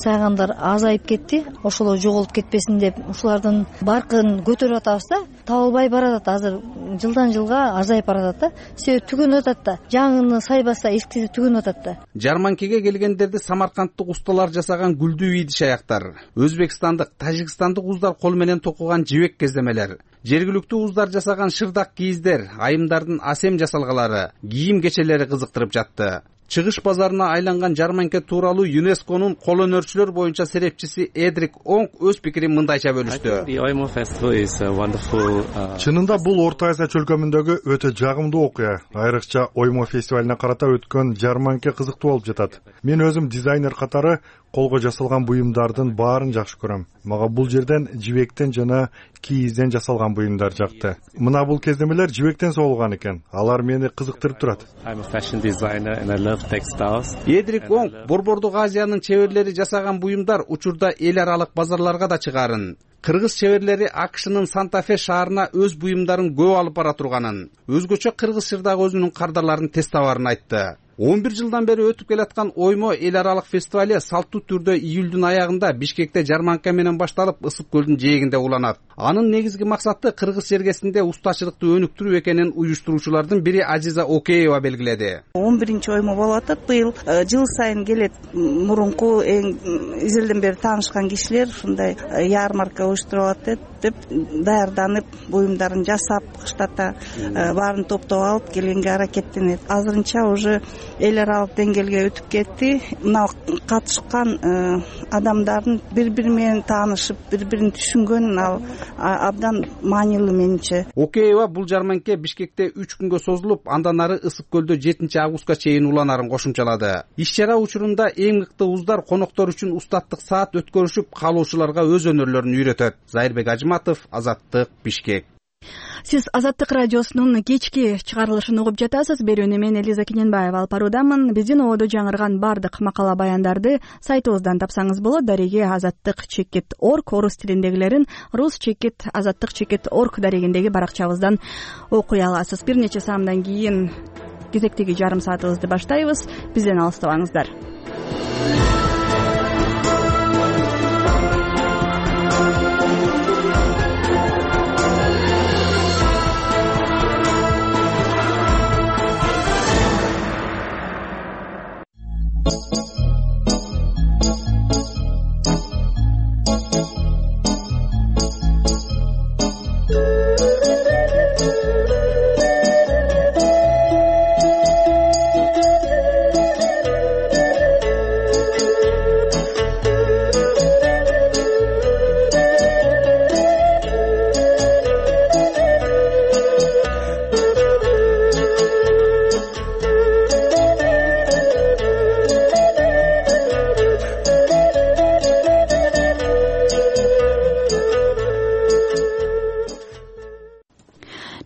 сайгандар азайып кетти. Ошолор жоголуп кетпесин деп ушулардын баркын көтөрүп атабыз да. Табылбай баратат азыр жылдан жылга азайып баратат да. Себеби түгөнүп атат да. Жаңыны сайбаса эскиси түгөнүп атат да. Жарманкеге келгендерди самаркандтык усталар жасаган гүлдүү ийдиш аяктар, өзбекстандык, тажикстандык уздар кол менен токуган жибек кездемелер, жергиликтүү уздар жасаган шырдак кийиздер, айымдардын асем жасалгалары, кийим кечелери кызыктырып жатты. Чыгыш базарына айланган жарманке тууралуу ЮНЕСКОнун кол өнөрчүлөр боюнча серепчиси Эдрик Онг өз пикирин мындайча бөлүштү. Чынында бул Орто Азия чөлкөмүндөгү өтө жагымдуу окуя. Айрыкча оймо фестивалине карата өткөн жарманке кызыктуу болуп жатат. Мен өзүм дизайнер катары колго жасалган буюмдардын баарын жакшы көрөм. Мага бул жерден жибектен жана кийизден жасалган буюмдар жакты. Мына бул кездемелер жибектен соолгон экен. Алар мени кызыктырып турат. Эдрик Онг Борбордук Азиянын чеберлери жасаган буюмдар учурда эл аралык базарларга да чыгарын. Кыргыз чеберлери АКШнын Санта-Фе шаарына өз буюмдарын көп алып бара турганын, өзгөчө кыргыз шырдагы өзүнүн кардарларын тест табарын айтты. он бир жылдан бери өтүп келаткан оймо эл аралык фестивали салттуу түрдө июлдун аягында Бишкекте жарманка менен башталып, Ысык көлдүн жээгинде уланат. Анын негизги максаты кыргыз жергесинде устачылыкты өнүктүрүү экенин уюштуруучулардын бири Азиза Океева белгиледи. он биринчи оймо болуп атат. Быйыл жыл сайын келет мурунку эң изилден бери таанышкан кишилер ушундай ярмарка уюштуруп атат деп даярданып, буюмдарын жасап, кыштата баарын топтоп алып келгенге аракеттенет. Азырынча уже эл аралык деңгээлге өтүп кетти. Мына катышкан адамдардын бири-бири менен таанышып, бири-бирин түшүнгөн ал абдан маанилүү менимче. Океева бул жарманке Бишкекте үч күнгө созулуп, андан ары Ысык көлдө жетинчи августка чейин уланарын кошумчалады. Иш-чара учурунда эң мыкты уздар коноктор үчүн устаттык саат өткөрүшүп, каалоочуларга өз өнөрлөрүн үйрөтөт. Зайырбек Ажыматов, Азаттык, Бишкек. Сиз Азаттык радиосунун кечки чыгарылышын угуп жатасыз. Берүүнү мен Элиза Кененбаева алып баруудамын. Биздин ободо жаңырган бардык макала баяндарды сайтыбыздан тапсаңыз болот. Дареги азаттык чекит орг, орус тилиндегилерин рус чекит азаттык чекит орг дарегиндеги баракчабыздан окуй аласыз. Бир нече саамдан кийин кезектеги жарым саатыбызды баштайбыз. Бизден алыстабаңыздар.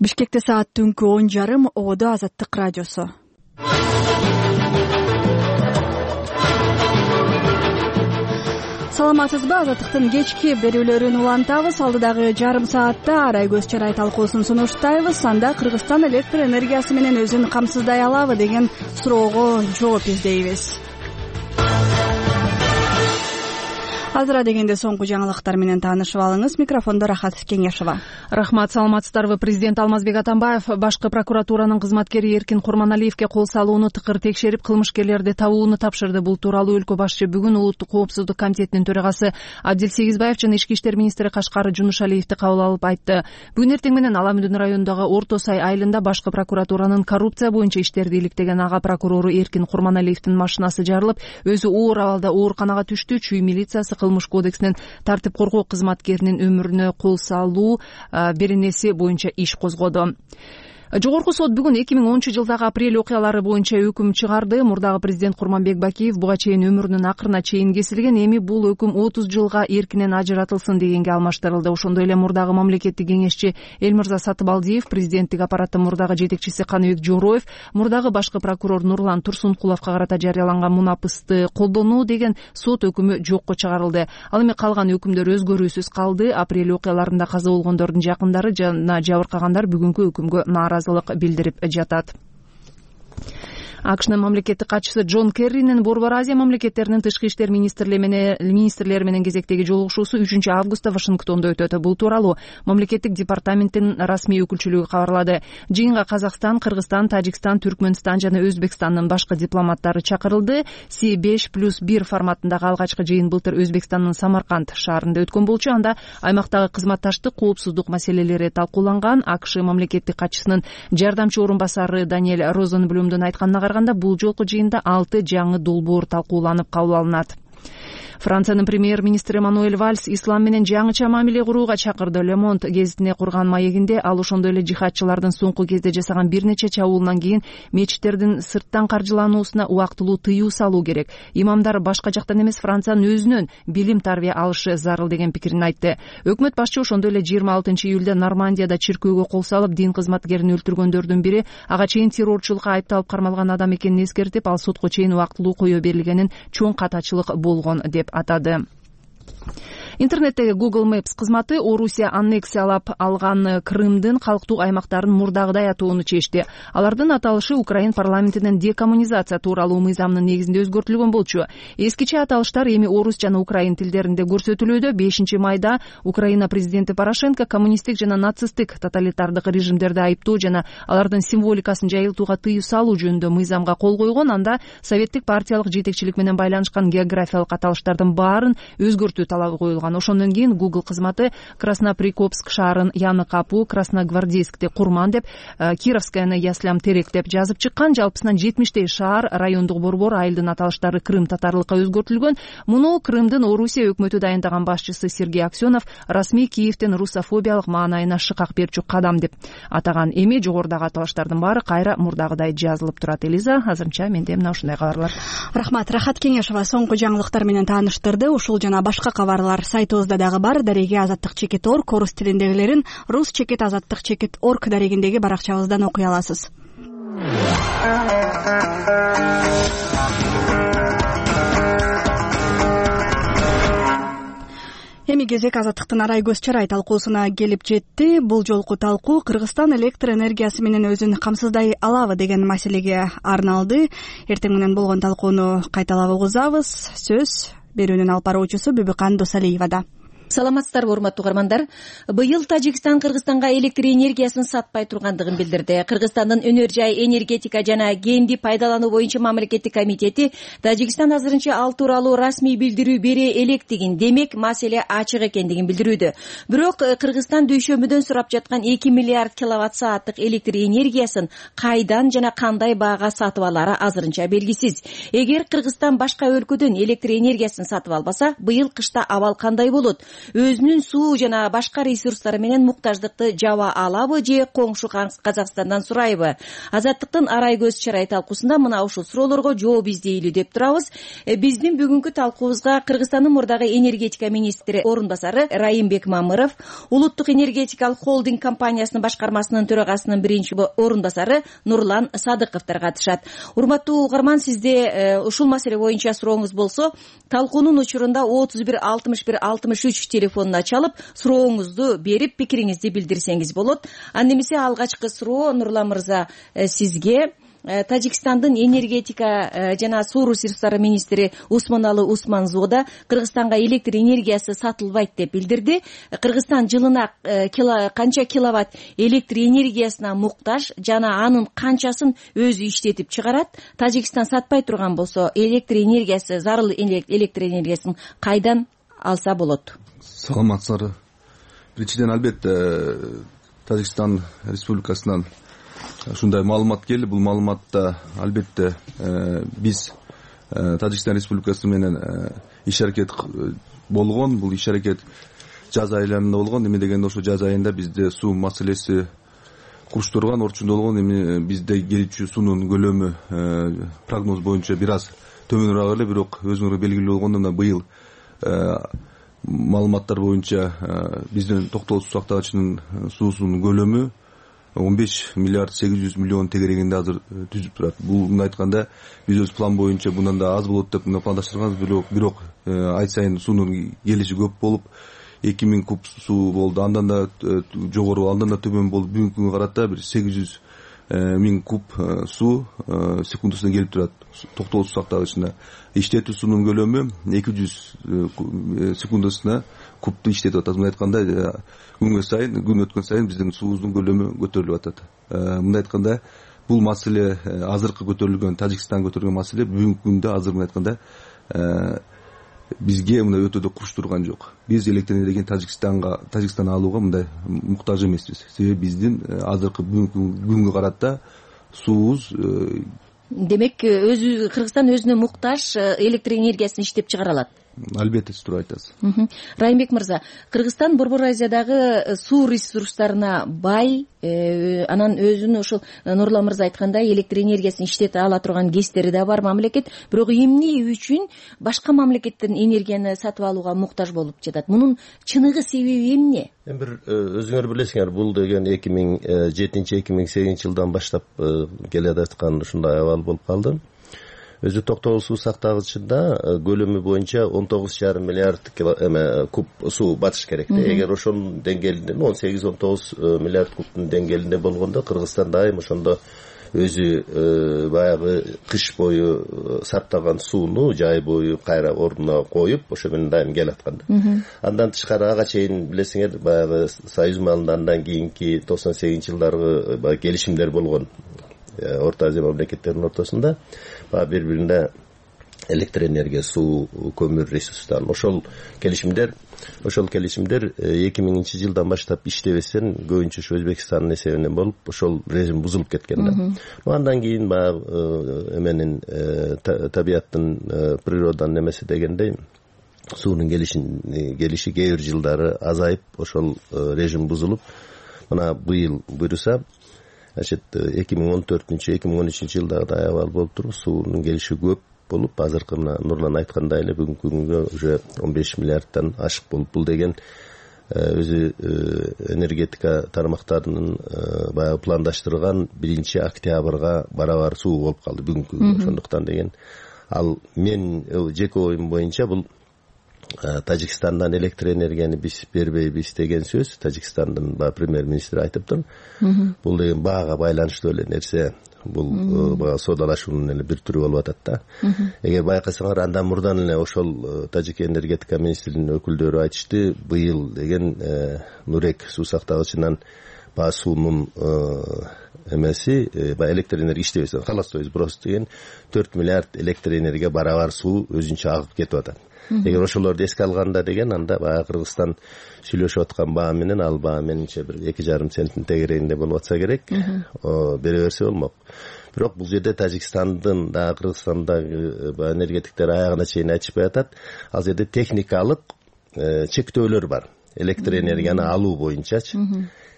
Бишкекте саат түнкү он жарым. Ободо Азаттык радиосу. Саламатсызбы? Азаттыктын кечки берүүлөрүн улантабыз. Алдыдагы жарым саатта арай көз чарай талкуусун сунуштайбыз. Анда Кыргызстан электр энергиясы менен өзүн камсыздай алабы деген суроого жооп издейбиз. Азыра дегенде соңку жаңылыктар менен таанышып алыңыз. Микрофондо Рахат Кеңешова. Рахмат, саламатсыздарбы? Президент Алмазбек Атамбаев башкы прокуратуранын кызматкери Эркин Курманалиевке кол салууну тыкыр текшерип, кылмышкерлерди табууну тапшырды. Бул тууралуу өлкө башчы бүгүн Улуттук коопсуздук комитетинин төрагасы Абдил Сегизбаев жана Ички иштер министри Кашкар Жунушалиевди кабыл алып айтты. Бүгүн эртең менен Аламүндүн районундагы Орто Сай айылында башкы прокуратуранын коррупция боюнча иштерди иликтеген ага прокурору Эркин Курманалиевдин машинасы жарылып, өзү оор абалда ооруканага түштү. Чүй милициясы кылмыш кодексинин тартип коргоо кызматкеринин өмүрүнө кол салуу беренеси боюнча иш козгоду. Жогорку сот бүгүн эки миң онунчу жылдагы апрель окуялары боюнча өкүм чыгарды. Мурдагы президент Курманбек Бакиев буга чейин өмүрүнүн акырына чейин кесилген. Эми бул өкүм отуз жылга эркинен ажыратылсын дегенге алмаштырылды. Ошондой эле мурдагы мамлекеттик кеңешчи Элмырза Сатыбалдиев, президенттик аппараттын мурдагы жетекчиси Каныбек Жороев, мурдагы башкы прокурор Нурлан Турсункуловго карата жарыяланган мунапысты колдонуу деген сот өкүмү жокко чыгарылды. Ал эми калган өкүмдөр өзгөрүүсүз калды. Апрель окуяларында каза болгондордун жакындары жана жабыркагандар бүгүнкү өкүмгө нааразылык билдирип жатат. АКШнын мамлекеттик катчысы Джон Керринин Борбор Азия мамлекеттеринин тышкы иштер министрлери менен кезектеги жолугушуусу үчүнчү августта Вашингтондо өтөт. Бул тууралуу мамлекеттик департаменттин расмий өкүлчүлүгү кабарлады. Жыйынга Казакстан, Кыргызстан, Тажикстан, Түркмөнстан жана Өзбекстандын башкы дипломаттары чакырылды. Си беш плюс бир форматындагы алгачкы жыйын былтыр Өзбекстандын Самарканд шаарында өткөн болчу. Анда аймактагы кызматташтык, коопсуздук маселелери талкууланган. АКШ мамлекеттик катчысынын жардамчы орун басары Даниэль Розенблюмдун айтканына бул жолку жыйында алты жаңы долбоор талкууланып кабыл алынат. Франциянын премьер-министри Мануэль Вальс ислам менен жаңыча мамиле курууга чакырды. Le Monde гезитине курган маегинде ал ошондой эле жихадчылардын соңку кезде жасаган бир нече чабуулунан кийин мечиттердин сырттан каржылануусуна убактылуу тыюу салуу керек. Имамдар башка жактан эмес, Франциянын өзүнөн билим тарбия алышы зарыл деген пикирин айтты. Өкмөт башчы ошондой эле жыйырма алтынчы июлда Нормандияда чиркөөгө кол салып, дин кызматкерин өлтүргөндөрдүн бири ага чейин террорчулукка айыпталып кармалган адам экенин эскертип, ал сотко чейин убактылуу коё берилгенин чоң катачылык болгон деп атады. Интернеттеги Google Maps кызматы Орусия аннексиялап алган Крымдын калктуу аймактарын мурдагыдай атоону чечти. Алардын аталышы Украин парламентинин декоммунизация тууралуу мыйзамынын негизинде өзгөртүлгөн болчу. Эскиче аталыштар эми орус жана украин тилдеринде көрсөтүлүүдө. бешинчи майда Украина президенти Порошенко коммунисттик жана нацисттик тоталитардык режимдерди айыптоо жана алардын символикасын жайылтууга тыюу салуу жөнүндө мыйзамга кол койгон. Анда советтик партиялык жетекчилик менен байланышкан географиялык аталыштардын баарын өзгөртүү талабы коюлган. Ошондон кийин Google кызматы Красноприкопск шаарын Яны Капу, Красногвардейскти Курман деп, Кировскаяны Яслям Терек деп жазып чыккан. Жалпысынан жетимиштей шаар, райондук борбор, айылдын аталыштары крым татарлыкка өзгөртүлгөн. Муну Крымдын Орусия өкмөтү дайындаган башчысы Сергей Аксенов расмий Киевдин русофобиялык маанайына шыкак берчү кадам деп атаган. Эми жогорудагы аталыштардын баары кайра мурдагыдай жазылып турат. Элиза, азырынча менде мына ушундай кабарлар. Рахмат. Рахат Кеңешова соңку жаңылыктар менен тааныштырды. Ушул жана башка кабарлар сайтыбызда дагы бар. Дареги азаттык чекит орг, орус тилиндегилерин рус чекит азаттык чекит орг дарегиндеги баракчабыздан окуй аласыз. Эми кезек азаттыктын арай көз чарай талкуусуна келип жетти. Бул жолку талкуу Кыргызстан электр энергиясы менен өзүн камсыздай алабы деген маселеге арналды. Эртең менен болгон талкууну кайталап угузабыз. Сөз берүүнүн алып баруучусу Бүбүкан Досалиевада. Саламатсыздарбы, урматтуу угармандар. Быйыл Тажикстан Кыргызстанга электр энергиясын сатпай тургандыгын билдирди. Кыргызстандын өнөр жай, энергетика жана кенди пайдалануу боюнча мамлекеттик комитети Тажикстан азырынча ал тууралуу расмий билдирүү бере электигин, демек маселе ачык экендигин билдирүүдө. Бирок Кыргызстан дөйшөмүдөн сурап жаткан эки миллиард киловатт сааттык электр энергиясын кайдан жана кандай баага сатып алары азырынча белгисиз. Эгер Кыргызстан башка өлкөдөн электр энергиясын сатып албаса, быйыл кышта абал кандай болот? өзүнүн суу жана башка ресурстары менен муктаждыкты жаба алабы же коңшу Казакстандан сурайбы? Азаттыктын арай көз чарай талкуусунда мына ушул суроолорго жооп издейлүү деп турабыз. Биздин бүгүнкү талкуубузга Кыргызстандын мурдагы энергетика министри орун басары Райымбек Мамыров, Улуттук энергетикалык холдинг компаниясынын башкармасынын төрагасынын биринчи орун басары Нурлан Садыковдор катышат. Урматтуу угарман, сизде ушул маселе боюнча сурооңуз болсо, талкуунун учурунда отуз бир алтымыш бир алтымыш үч телефонуна чалып, сурооңузду берип, пикириңизди билдирсеңиз болот. Анда эмесе алгачкы суроо Нурлан мырза сизге. Тажикстандын энергетика жана суу ресурстары министри Усманалы Усманзода Кыргызстанга электр энергиясы сатылбайт деп билдирди. Кыргызстан жылына канча киловатт электр энергиясына муктаж жана анын канчасын өзү иштетип чыгарат? Тажикстан сатпай турган болсо, электр энергиясы, зарыл электр энергиясын кайдан алса болот? Саламатсыздар. Биринчиден, албетте Тажикстан Республикасынан ушундай маалымат келди. Бул маалыматта албетте биз Тажикстан Республикасы менен иш аракет болгон. Бул иш аракет жаз айларында болгон. Эме дегенде ошо жаз айында бизде суу маселеси куруштурган, орчундо болгон. Эми бизде келүүчү суунун көлөмү прогноз боюнча бир аз төмөнүрөөк эле, бирок өзүңөр белгилүү болгондой мына быйыл маалыматтар боюнча биздин Токтогул суу сактагычынын суусунун көлөмү он беш миллиард сегиз жүз миллион тегерегинде азыр түзүп турат. Бул мындай айтканда биз өз план боюнча bundan да аз болот деп пландаштырганбыз, бирок бирок ай сайын суунун келиши көп болуп эки миң куб суу болду. Андан да жогору, андан да төмөн болуп бүгүнкү күнгө карата бир сегиз жүз миң куб суу секундасына келип турат. Токтогул суу сактагычына иштетүү суунун көлөмү эки жүз секундасына кубду иштетип атат. Мындай айтканда күнгө сайын, күн өткөн сайын биздин суубуздун көлөмү көтөрүлүп атат. Мындай айтканда бул маселе азыркы көтөрүлгөн, Тажикстан көтөргөн маселе бүгүнкү күндө азыр мындай айтканда бизге мындай өтө да куш турган жок. Биз электр энергияны Тажикстанга, Тажикстандан алууга мындай муктаж эмеспиз. Себеби биздин азыркы бүгүнкү күнгө карата суубуз, демек өзү Кыргызстан өзүнө муктаж электр энергиясын иштеп чыгара алат. Албетте, туура айтасыз. Райымбек мырза, Кыргызстан Борбор Азиядагы суу ресурстарына бай, анан өзүнүн ушул Нурлан мырза айткандай электр энергиясын иштете ала турган кездери да бар мамлекет, бирок эмне үчүн башка мамлекеттен энергияны сатып алууга муктаж болуп жатат? Мунун чыныгы себеби эмне? Эми бир өзүңөр билесиңер, бул деген эки миң жетинчи эки миң сегизинчи жылдан баштап келе жаткан ушундай абал болуп калды. Өзү Токтогул суу сактагычында көлөмү боюнча он тогуз жарым миллиард эме куб суу батыш керек да. Эгер ошонун деңгээлинде он сегиз он тогуз миллиард кубтун деңгээлинде болгондо Кыргызстан дайым ошондо өзү баягы кыш бою сактаган сууну жай бою кайра ордуна коюп ошо менен дайым келаткан да. Андан тышкары ага чейин билесиңер, баягы Союз маалындан кийинки токсон сегизинчи жылдаргы баягы келишимдер болгон. Орто Азия мамлекеттеринин ортосунда бири бирине электр энергия, суу, көмүр ресурстарын ошол келишимдер ошол келишимдер эки миңинчи жылдан баштап иштебестен көбүнчө ошо Өзбекстандын эсебинен болуп ошол режим бузулуп кеткен да. Андан кийин баягы эменин табияттын, природанын эмеси дегендей суунун келишин келиши кээ бир жылдары азайып ошол режим бузулуп, мына быйыл буюрса значит эки миң он төртүнчү эки миң он үчүнчү жылдагы абал болуп туруп суунун келиши көп болуп, азыркы мына Нурлан айткандай эле бүгүнкү күнгө уже он беш миллиардтан ашык болуп, бул деген өзү энергетика тармактарынын баягы пландаштырган биринчи октябрга барабар суу болуп калды бүгүнкү күнгө. Ошондуктан деген ал мен жеке оюм боюнча бул Тажикстандан электр энергияны биз бербейбиз деген сөз Тажикстандын баягы премьер-министри айтыптыр. Бул деген баага байланыштуу эле нерсе. Бул баягы соодалашуунун эле бир түрү болуп атат да. Эгер байкасаңар, андан мурдан эле ошол Тажик энергетика министринин өкүлдөрү айтышты, быйыл деген Нурек суу сактагычынан баягы суунун эмеси, баягы электр энергия иштебесе, холостой сброс деген төрт миллиард электр энергия барабар суу өзүнчө агып кетип атат. Эгер ошолорду эске алганда деген, анда баягы Кыргызстан сүйлөшүп аткан баа менен ал баа менимче бир эки жарым центтин тегерегинде болуп атса керек, бере берсе болмок. Бирок бул жерде Тажикстандын да Кыргызстандагы энергетиктер аягына чейин айтышпай атат. Ал жерде техникалык чектөөлөр бар электр энергияны алуу боюнчачы.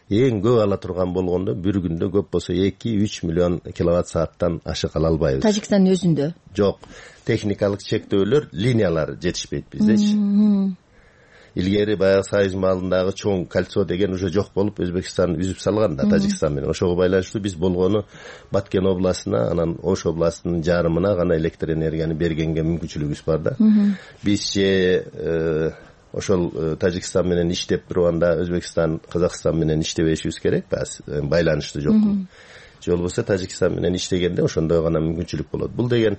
Эң көп ала турган болгондо бир күндө көп болсо эки үч миллион киловатт сааттан ашык ала албайбыз. Тажикстандын өзүндө жок, техникалык чектөөлөр, линиялар жетишпейт биздечи. Илгери баягы Союз маалындагы чоң кольцо деген уже жок болуп, Өзбекстан үзүп салган да Тажикстан менен. Ошого байланыштуу биз болгону Баткен областына, анан Ош областынын жарымына гана электр энергияны бергенге мүмкүнчүлүгүбүз бар да. Биз же ошол Тажикстан менен иштеп турганда Өзбекстан, Казакстан менен иштебешибиз керек, байланыштуу жокпу. Же болбосо Тажикстан менен иштегенде ошондой гана мүмкүнчүлүк болот. Бул деген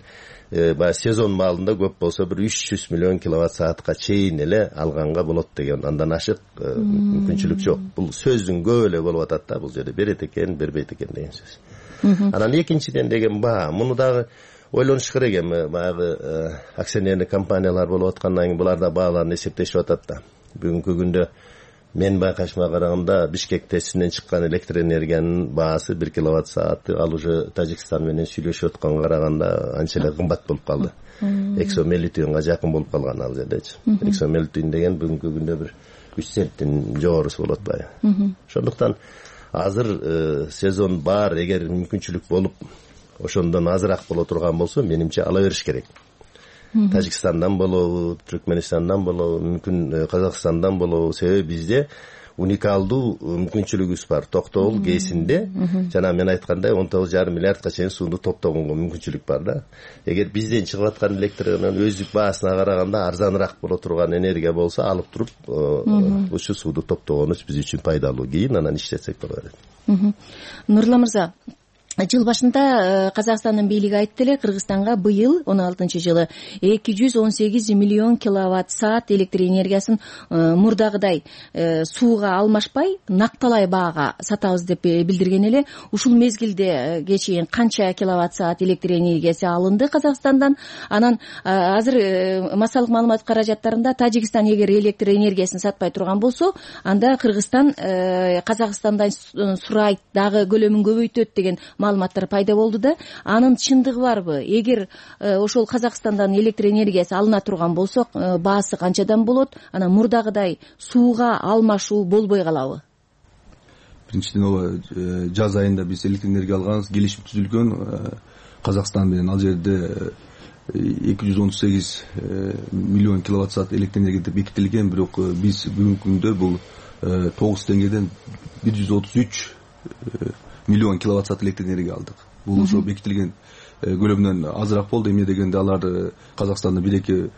баягы сезон маалында көп болсо бир үч жүз миллион киловатт саатка чейин эле алганга болот деген, андан ашык мүмкүнчүлүк жок. Бул сөздүн көп эле болуп атат да, бул жерде берет экен, бербейт экен деген сөз. Анан экинчиден деген баа, муну дагы ойлонуш керек эми, баягы акционерлик компаниялар болуп аткандан кийин булар да бааларын эсептешип атат да. Бүгүнкү күндө мен байкашыма караганда Бишкек тестинен чыккан электр энергиянын баасы бир киловатт сааты ал уже Тажикстан менен сүйлөшүп атканга караганда анча эле кымбат болуп калды. Эксомелитүнга жакын болуп калган ал жердечи. Эксомелитүн деген бүгүнкү күндө бир үч центтин жогорусу болот баягы. Ошондуктан азыр сезон бар, эгер мүмкүнчүлүк болуп ошондон азыраак боло турган болсо, менимче ала бериш керек. Тажикстандан болобу, Түркменистандан болобу, мүмкүн Казакстандан болобу, себеби бизде уникалдуу мүмкүнчүлүгүбүз бар. Токтогул ГЭСинде жана мен айткандай он тогуз жарым миллиардка чейин сууну топтогонго мүмкүнчүлүк бар да. Эгер бизден чыгып аткан электр энергиянын өздүк баасына караганда арзаныраак боло турган энергия болсо, алып туруп ушу сууну топтогонубуз биз үчүн пайдалуу. Кийин анан иштетсек боло берет. Нурлан мырза, жыл башында Казакстандын бийлиги айтты эле, Кыргызстанга быйыл он алтынчы жылы эки жүз он сегиз миллион киловатт саат электр энергиясын мурдагыдай сууга алмашпай накталай баага сатабыз деп билдирген эле. Ушул мезгилде чейин канча киловатт саат электр энергиясы алынды Казакстандан? Анан азыр массалык маалымат каражаттарында Тажикстан эгер электр энергиясын сатпай турган болсо, анда Кыргызстан Казакстандан сурайт, дагы көлөмүн көбөйтөт деген маалыматтар пайда болду да. Анын чындыгы барбы? Эгер ошол Казакстандан электр энергиясы алына турган болсо, баасы канчадан болот? Анан мурдагыдай сууга алмашуу болбой калабы? Биринчиден ооба, жаз айында биз электр энергия алганбыз, келишим түзүлгөн Казакстан менен. Ал жерде эки жүз он сегиз миллион киловатт саат электр энергия деп бекитилген, бирок биз бүгүнкү күндө бул тогуз теңгеден бир жүз отуз үч миллион киловатт саат электр энергия алдык. Бул ошо бекитилген көлөмдөн азыраак болду. Эмне дегенде алар Казакстандын бир-эки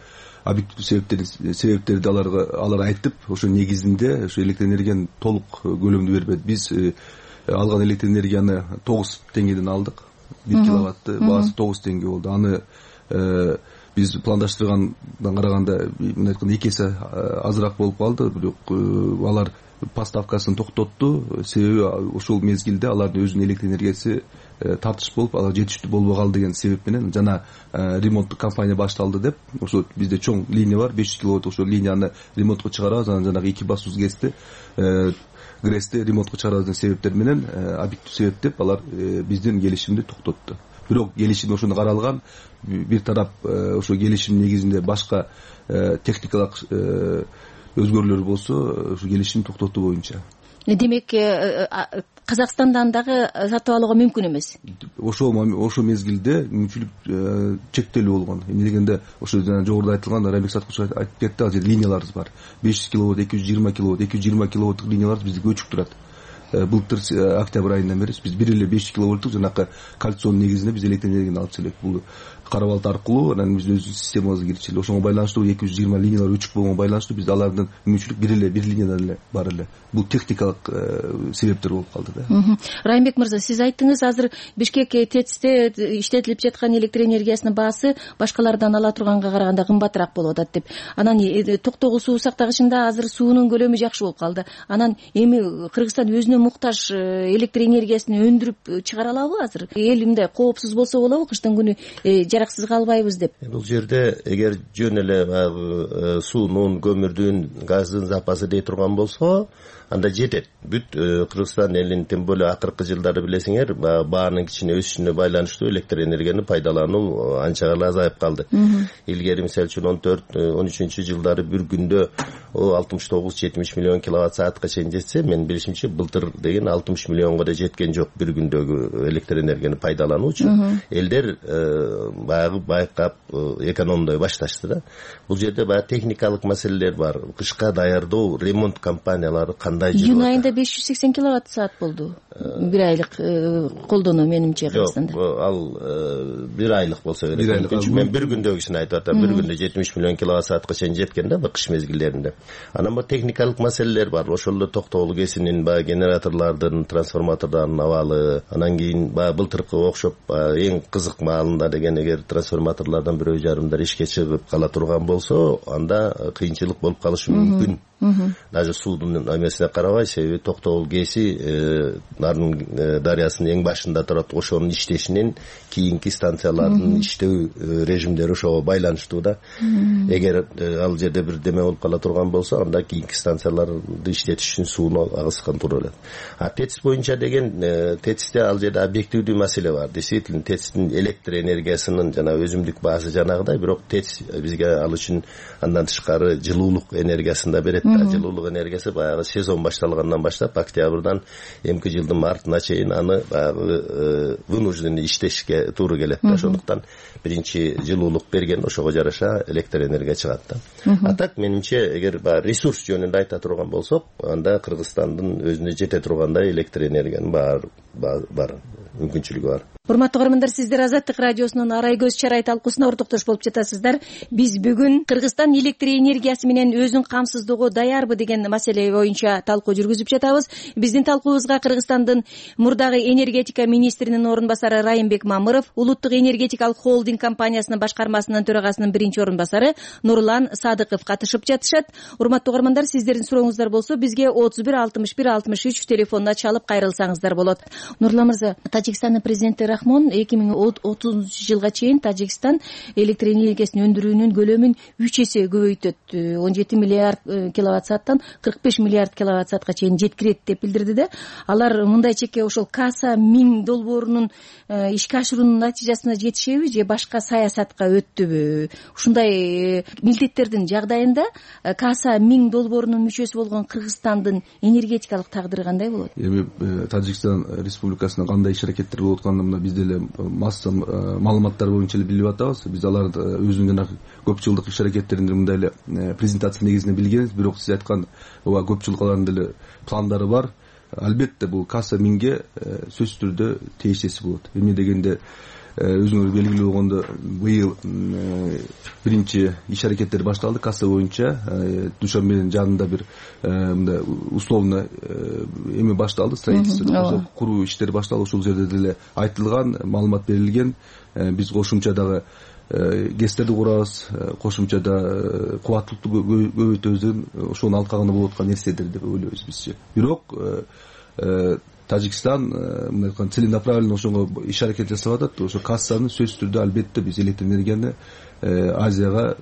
объективдүү себептерди себептерди аларга алар айтып, ошо негизинде ошо электр энергиянын толук көлөмүндө бербейт. Биз алган электр энергияны тогуз теңгеден алдык. бир киловатты баасы тогуз теңге болду. Аны биз пландаштыргандан караганда мен айтканда эки эсе азыраак болуп калды, бирок алар поставкасын токтотту. Себеби ошол мезгилде алардын өзүнүн электр энергиясы тартыш болуп, алар жетиштүү болбой калды деген себеп менен жана ремонттук кампания башталды деп, ошо бизде чоң линия бар, беш жүз киловатт, ошол линияны ремонтко чыгарабыз. Анан жанагы эки басуус ГЭСти ГРЭСти ремонтко чыгарабыз деген себептер менен, объектив себеп деп алар биздин келишимди токтотту. Бирок келишим ошондо каралган, бир тарап ошо келишим негизинде башка техникалык өзгөрүүлөр болсо, ошо келишим токтотуу боюнча. Демек, Казакстандан дагы сатып алууга мүмкүн эмес. Ошо ошо мезгилде мүмкүнчүлүк чектелүү болгон. Эмне дегенде, ошо жана жогоруда айтылган, Райбек Саткулович айтып кетти, ал жерде линияларыбыз бар. беш жүз киловатт, эки жүз жыйырма киловатт, эки жүз жыйырма киловаттык линиялар бизде көчүп турат. Былтыр октябрь айынан бери биз бир эле беш жүз киловатттык жанакы кольцонун негизинде биз электр энергияны алып келет. Бул карабалт аркылуу анан биз өзүбүздүн системабызга кирчиле. Ошого байланыштуу эки жүз жыйырма линиялар өчүк болгонго байланыштуу бизде алардын мүмкүнчүлүк бир эле бир линиядан эле бар эле. Бул техникалык себептер болуп калды да. Райымбек мырза, сиз айттыңыз, азыр Бишкек ТЭЦте иштетилип жаткан электр энергиясынын баасы башкалардан ала турганга караганда кымбатыраак болуп атат деп. Анан токтогул суу сактагычында азыр суунун көлөмү жакшы болуп калды. Анан эми Кыргызстан өзүнө муктаж электр энергиясын өндүрүп чыгара алабы азыр? Эл мындай коопсуз болсо болобу, кыштын күнү жараксыз калбайбыз деп? Бул жерде эгер жөн эле баягы суунун, көмүрдүн, газдын запасы дей турган болсо, анда жетет. Бүт Кыргызстан элинин тем более акыркы жылдары билесиңер, баарынын кичине өсүшүнө байланыштуу электр энергияны пайдалануу анча гана азайып калды. Илгери мисалы үчүн он төрт он үчүнчү жылдары бир күндө алтымыш тогуз жетимиш миллион киловатт саатка чейин жетсе, мен билишимче былтыр деген алтымыш миллионго да жеткен жок бир күндөгү электр энергияны пайдалануучу. Элдер баягы байкап экономдой башташты да. Бул жерде баягы техникалык маселелер бар. Кышка даярдоо, ремонт компаниялары кандай жүрүп июнь айында беш жүз сексен киловатт саат болду. Бир айлык колдонуу менимче Кыргызстанда. Жок, ал бир айлык болсо керек. Мен бир күндөгүсүн айтып атам. Бир күндө жетимиш миллион киловатт саатка чейин жеткен да, кыш мезгилдеринде. Анан бу техникалык маселелер бар. Ошол эле токтогул кесинин баягы генераторлордун, трансформатордордун абалы, анан кийин баягы былтыркы окшоп эң кызык маалында деген эгер трансформаторлордон бирөө жарымдар ишке чыгып кала турган болсо, анда кыйынчылык болуп калышы мүмкүн. Даже суудун эмесине карабай, себеби токтогул кеси Нарын дарыясынын эң башында турат. Ошонун иштешинен кийинки станциялардын иштөө режимдери ошого байланыштуу да. Эгер ал жерде бир деме болуп кала турган болсо, анда кийинки станцияларды иштетиш үчүн сууну агызган туура келет. А ТЭЦ боюнча деген, ТЭЦте ал жерде объективдүү маселе бар. Действительно, ТЭЦтин электр энергиясынын жана өзүмдүк баасы жанагыдай, бирок ТЭЦ бизге ал үчүн андан тышкары жылуулук энергиясын да берет. Жылуулук энергиясы баягы сезон башталгандан баштап октябрдан эмки жылдын мартына чейин аны баягы вынужденный иштешке туура келет да. Ошондуктан биринчи жылуулук берген, ошого жараша электр энергия чыгат да. А так менимче, эгер баягы ресурс жөнүндө айта турган болсок, анда Кыргызстандын өзүнө жете тургандай электр энергиянын бар бар мүмкүнчүлүгү бар. Урматтуу көрөрмандар, сиздер Азаттык радиосунун Арай көз чарай талкуусуна ортоктош болуп жатасыздар. Биз бүгүн Кыргызстан электр энергиясы менен өзүн камсыздоого даярбы деген маселе боюнча талкуу жүргүзүп жатабыз. Биздин талкуубузга Кыргызстандын мурдагы энергетика министринин орун басары Райымбек Мамыров, Улуттук энергетикалык холдинг компаниясынын башкармасынын төрагасынын биринчи орун басары Нурлан Садыков катышып жатышат. Урматтуу көрөрмандар, сиздердин сурооңуздар болсо бизге отуз бир алтымыш бир алтымыш үч телефонуна чалып кайрылсаңыздар болот. Нурлан мырза, Тажикстандын президенти Рахмон эки миң отузунчу жылга чейин Тажикстан электр энергиясын өндүрүүнүн көлөмүн үч эсе көбөйтөт, он жети миллиард киловатт сааттан кырк беш миллиард киловатт саатка чейин жеткирет деп билдирди да. Алар мындай чекке ошол Каса миң долбоорунун ишке ашыруунун натыйжасына жетишеби же башка саясатка өттүбү? Ушундай милдеттердин жагдайында Каса миң долбоорунун мүчөсү болгон Кыргызстандын энергетикалык тагдыры кандай болот? Эми Тажикстан республикасына кандай иш аракеттер болуп атканын мына биз деле масса маалыматтар боюнча эле билип атабыз. Биз аларды өзүнүн жанагы көп жылдык иш аракеттеринде мындай эле презентация негизинде билгенбиз, бирок сиз айткан ооба көп жылкалардын деле пландары бар. Албетте бул Каса миңге сөзсүз түрдө тиешеси болот. Эмне дегенде өзүңөр белгилүү болгондо быйыл биринчи иш аракеттер башталды Каса боюнча. Душанбенин жанында бир мындай условно эме башталды, строительство куруу иштери башталды. Ушул жерде деле айтылган, маалымат берилген. Биз кошумча дагы гэстерди курабыз, кошумча да кубаттуулукту көбөйтөбүз деген ошонун алкагында болуп аткан нерселер деп ойлойбуз бизче. Бирок Тажикстан мындай айтканда целенаправленно ошого иш аракет жасап атат. Ошо Кассаны сөзсүз түрдө албетте биз электр энергияны Азияга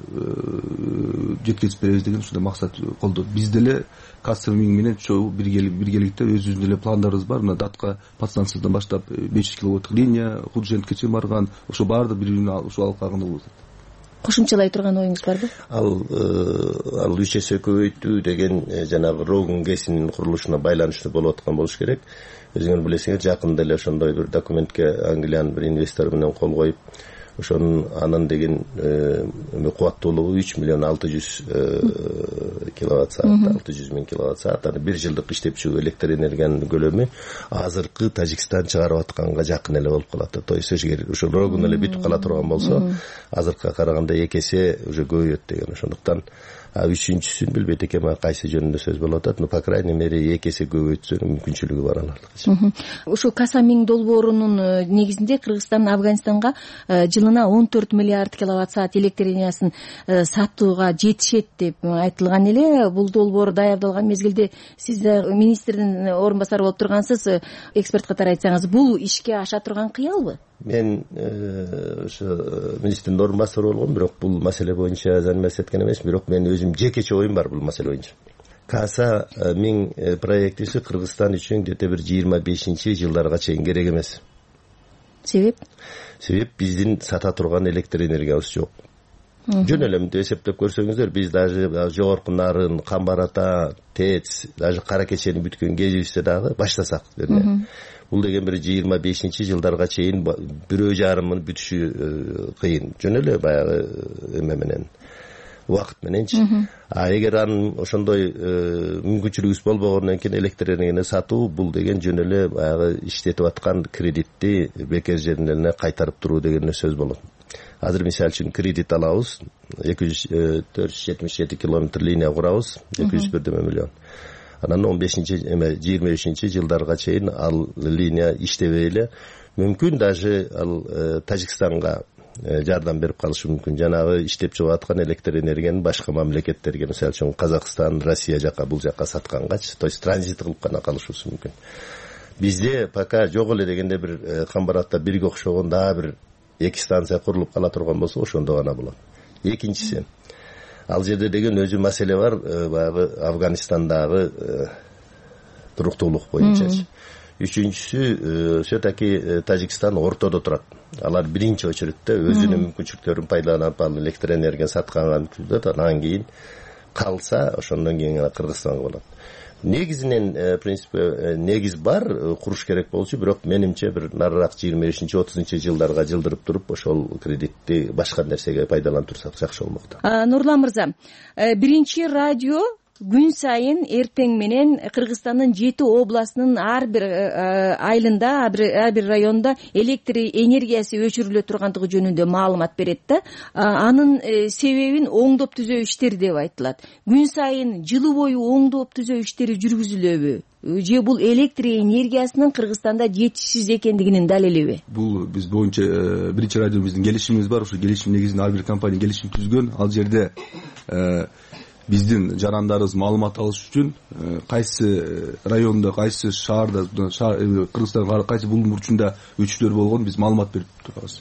жеткизип беребиз деген ушундай максат колдойт. Биз деле Каса миң менен чогуу биргеликте өзүбүздүн деле пландарыбыз бар. Мына Датка подстанциясынан баштап беш жүз киловатттык линия, Худшентке чейин барган, ошо баардык бири-биринин ушул алкагында болот. Кошумчалай турган оюңуз барбы? Ал ал үч эсе көбөйтүү деген жанагы Рогун гэсинин курулушуна байланыштуу болуп аткан болуш керек. Өзүңөр билесиңер, жакында эле ошондой бир документке Англиянын бир инвестору менен кол коюп, ошонун анын деген кубаттуулугу үч миллион алты жүз киловатт саат, алты жүз миң киловатт саат. Аны бир жылдык иштеп чыгуу электр энергиянын көлөмү азыркы Тажикстан чыгарып атканга жакын эле болуп калат. То есть эгер ошол Рогун эле бүтүп кала турган болсо, азыркыга караганда эки эсе уже көбөйөт деген. Ошондуктан үчүнчүсүн билбейт экенмин, кайсы жөнүндө сөз болуп атат, но по крайней мере эки эсе көбөйтсө мүмкүнчүлүгү бар алардын. Ушул Каса миң долбоорунун негизинде Кыргызстан Афганистанга жылына он төрт миллиард киловатт саат электр энергиясын сатууга жетишет деп айтылган эле. Бул долбоор даярдалган мезгилде сиз министрдин орун басары болуп тургансыз. Эксперт катары айтсаңыз, бул ишке аша турган кыялбы? Мен ошо министрдин орун басары болгом, бирок бул маселе боюнча заниматься эткен эмесмин, бирок мен өзүм жекече оюм бар бул маселе боюнча. каса миң проектиси Кыргызстан үчүн где то бир жыйырма бешинчи жылдарга чейин керек эмес. Себеп? Себеп биздин сата турган электр энергиябыз жок. Жөн эле мынтип эсептеп көрсөңүздөр, биз даже жогорку нарын, Камбар Ата, ТЭЦ, даже Кара Кечени бүткөн кезибизде дагы баштасак деди. Бул деген бир жыйырма бешинчи жылдарга чейин бирөө жарымын бүтүшү кыйын. Жөн эле баягы эме менен, убакыт мененчи. А эгер анын ошондой мүмкүнчүлүгүбүз болбогондон кийин электр энергияны сатуу, бул деген жөн эле баягы иштетип аткан кредитти бекер жерине кайтарып туруу деген сөз болот. Азыр мисалы үчүн кредит алабыз, эки жүз төрт жүз жетимиш жети километр линия курабыз, эки жүз бир миллион. Анан он бешинчи эме жыйырма бешинчи жылдарга чейин ал линия иштебей эле, мүмкүн даже ал Тажикстанга жардам берип калышы мүмкүн. Жанагы иштеп чыгып аткан электр энергияны башка мамлекеттерге, мисалы үчүн Казакстан, Россия жака, бул жака саткангачы, то есть транзит кылып гана калышыбыз мүмкүн. Бизде пока жок эле дегенде бир Камбар Ата бирге окшогон дагы бир эки станция курулуп кала турган болсо, ошондо гана болот. Экинчиси, ал жерде деген өзү маселе бар, баягы Афганистандагы туруктуулук боюнчачы. Үчүнчүсү, все-таки Тажикстан ортодо турат. Алар биринчи очередте өзүнүн мүмкүнчүлүктөрүн пайдаланып, ал электр энергияны саткандан анан кийин калса, ошондон кийин гана Кыргызстанга болот. Негизинен принципе негиз бар, куруш керек болчу, бирок менимче бир нарыраак жыйырма бешинчи отузунчу жылдарга жылдырып туруп, ошол кредитти башка нерсеге пайдалантырсак жакшы болмок. Нурлан мырза, биринчи радио күн сайын эртең менен Кыргызстандын жети областынын ар бир айылында, ар бир районунда электр энергиясы өчүрүлө тургандыгы жөнүндө маалымат берет да. Анын себебин оңдоп түзөө иштери деп айтылат. Күн сайын жылы бою оңдоп түзөө иштери жүргүзүлөбү? Же бул электр энергиясынын Кыргызстанда жетишсиз экендигинин далилиби? Бул биз боюнча биринчи радио биздин келишимибиз бар. Ошо келишим негизинде ар бир компания келишим түзгөн. Ал жерде биздин жарандарыбыз маалымат алыш үчүн кайсы районда, кайсы шаарда, Кыргызстандын кайсы булуң бурчунда өчүрлөр болгон биз маалымат берип турабыз.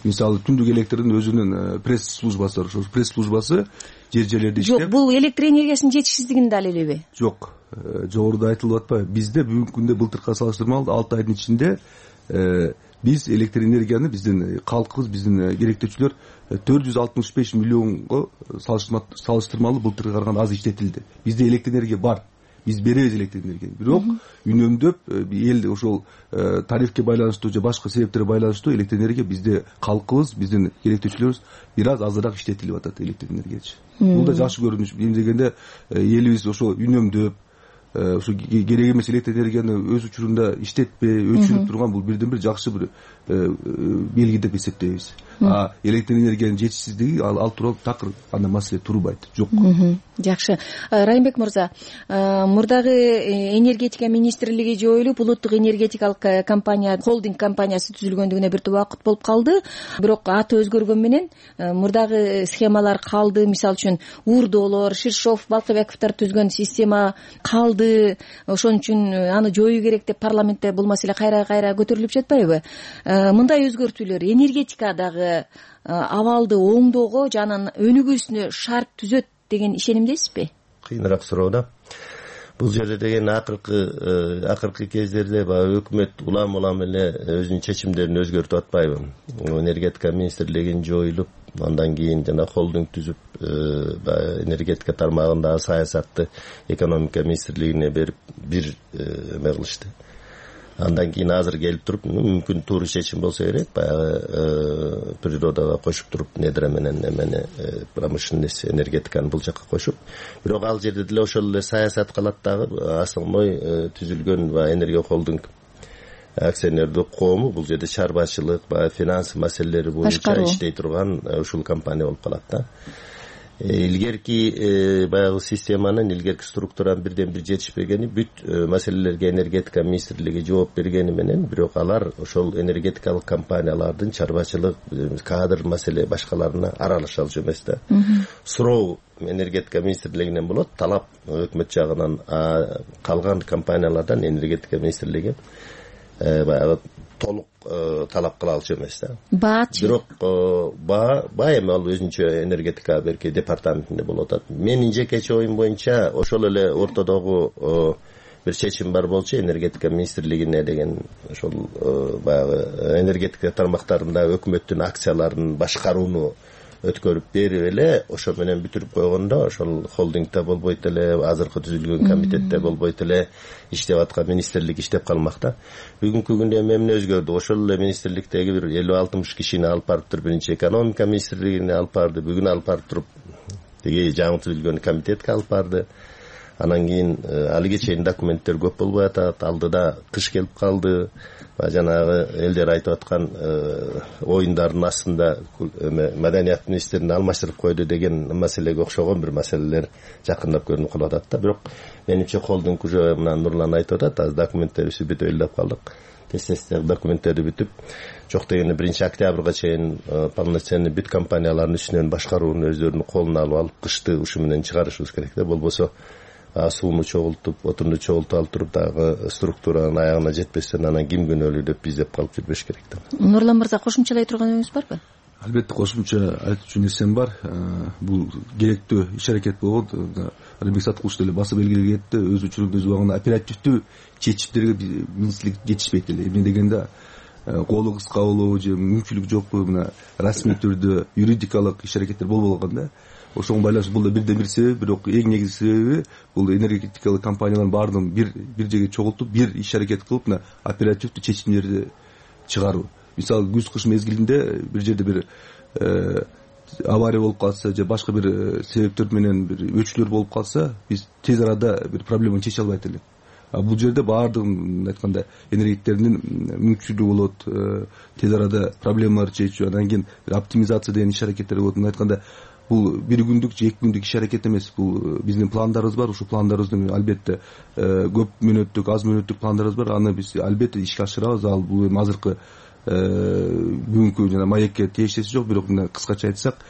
Мисалы түндүк электрдин өзүнүн пресс службасы бар. Ошол пресс службасы жер жерлерде иштеп. Жок, бул электр энергиясынын жетишсиздигинин далилиби? Жок. Жогоруда айтылып атпайбы? Бизде бүгүнкү күндө былтыркыга салыштырмалуу алты айдын ичинде биз электр энергияны биздин калкыбыз, биздин керектөөчүлөр төрт жүз алтымыш беш миллионго салыштырмалуу былтыркыга караганда аз иштетилди. Бизде электр энергия бар. Биз беребиз электр энергияны. Бирок үнөмдөп эл ошол тарифке байланыштуу же башка себептерге байланыштуу электр энергия бизде калкыбыз, биздин керектөөчүлөрүбүз бир аз азыраак иштетилип атат электр энергиячы. Бул да жакшы көрүнүш. Эми дегенде элибиз ошо үнөмдөп, ошо керек эмес электр энергияны өз учурунда иштетпей, өчүрүп турган бул бирден бир жакшы бир белги деп эсептейбиз. А электр энергиянын жетишсиздиги ал тууралуу такыр андай маселе турбайт. Жок. Жакшы. Райымбек мырза, мурдагы энергетика министрлиги жоюлуп, улуттук энергетикалык компания, холдинг компаниясы түзүлгөндүгүнө бир убакыт болуп калды. Бирок аты өзгөргөн менен мурдагы схемалар калды. Мисалы үчүн Урдоолор, Ширшов, Балкыбековдор түзгөн система калды. Ошон үчүн аны жоюу керек деп парламентте бул маселе кайра-кайра көтөрүлүп жатпайбы? Мындай өзгөртүүлөр энергетикадагы абалды оңдоого жана өнүгүүсүнө шарт түзөт деген ишенимдесизби? Кыйыныраак суроо да. Бул жерде деген акыркы акыркы кездерде баягы өкмөт улам улам эле өзүнүн чечимдерин өзгөртүп атпайбы? Энергетика министрлигин жоюлуп, андан кийин жана холдинг түзүп, энергетика тармагындагы саясатты экономика министрлигине берип бир эме кылышты. Андан кийин азыр келип туруп, мүмкүн туура чечим болсо керек, баягы природага кошуп туруп, недра менен эмени промышленность энергетиканы бул жака кошуп, бирок ал жерде деле ошол эле саясат калат дагы. Основной түзүлгөн баягы энергия холдинг акционердик коому бул жерде чарбачылык, баягы финанс маселелери боюнча иштей турган ушул компания болуп калат да. Илгерки баягы системанын, илгерки структуранын бирден бир жетишпегени, бүт маселелерге энергетика министрлиги жооп бергени менен, бирок алар ошол энергетикалык компаниялардын чарбачылык, кадр маселе башкаларына аралаша алчу эмес да. Суроо энергетика министрлигинен болот, талап өкмөт жагынан, калган компаниялардан энергетика министрлиги баягы толук талап кыла алчу эмес да. Баачы бирок баа баа эми ал өзүнчө энергетика берки департаментинде болуп атат. Менин жекече оюм боюнча ошол эле ортодогу бир чечим бар болчу, энергетика министрлигине деген ошол баягы энергетика тармактарында өкмөттүн акцияларын башкарууну өткөрүп берип эле ошо менен бүтүрүп койгондо ошол холдингде болбойт эле, азыркы түзүлгөн комитетте болбойт эле, иштеп аткан министрлик иштеп калмак да. Бүгүнкү күндө эмне өзгөрдү? Ошол эле министрликтеги бир элүү алтымыш кишини алып барып туруп биринчи экономика министрлигине алып барды, бүгүн алып барып туруп тиги жаңы түзүлгөн комитетке алып барды. Анан кийин алиге чейин документтер көп болбой атат, алдыда кыш келип калды. Жанагы элдер айтып аткан оюндардын астында маданият министрин алмаштырып койду деген маселеге окшогон бир маселелер жакындап көрүнүп калып атат да. Бирок менимче холдинг уже мына Нурлан айтып атат, азыр документтерибизди бүтүп элдеп калдык. Тез-тез документтерди бүтүп, жок дегенде биринчи октябрга чейин полноценный бүт компаниялардын үстүнөн башкарууну өздөрүнүн колуна алып алып, кышты ушу менен чыгарышыбыз керек да. Болбосо сууну чогултуп, отунду чогултуп алып туруп дагы структуранын аягына жетпестен анан ким күнөөлүү деп биздеп калып жүрбөш керек да. Нурлан мырза, кошумчалай турганыңыз барбы? Албетте кошумча айтчу нерсем бар. Бул керектүү иш аракет болот. Алибек Саткулович деле басып белгилеген кетти. Өз учурунда өз убагында оперативдүү чечимдерге министрлик жетишпейт эле. Эмне дегенде колу кыска болобу же мүмкүнчүлүк жокпу, мына расмий түрдө юридикалык иш аракеттер болбой калган да. Ошого байланыштуу бул да бирден бир себеп, бирок эң негизги себеби бул энергетикалык компаниялардын баардыгын бир бир жерге чогултуп, бир иш аракет кылып, мына оперативдүү чечимдерди чыгаруу. Мисалы күз кыш мезгилинде бир жерде бир авария болуп калса же башка бир себептер менен бир өчүүлөр болуп калса, биз тез арада бир проблеманы чече албайт элек. А бул жерде баардыгын айтканда энергетиктердин мүмкүнчүлүгү болот, тез арада проблемаларды чечүү, анан кийин оптимизация деген иш аракеттер болот. Айтканда бул бир күндүк же эки күндүк иш аракет эмес, бул биздин пландарыбыз бар. Ушул пландарыбызды албетте көп мөөнөттүк, аз мөөнөттүк пландарыбыз бар. Аны биз албетте ишке ашырабыз. Ал бул эми азыркы бүгүнкү жана маекке тиешеси жок, бирок мына кыскача айтсак,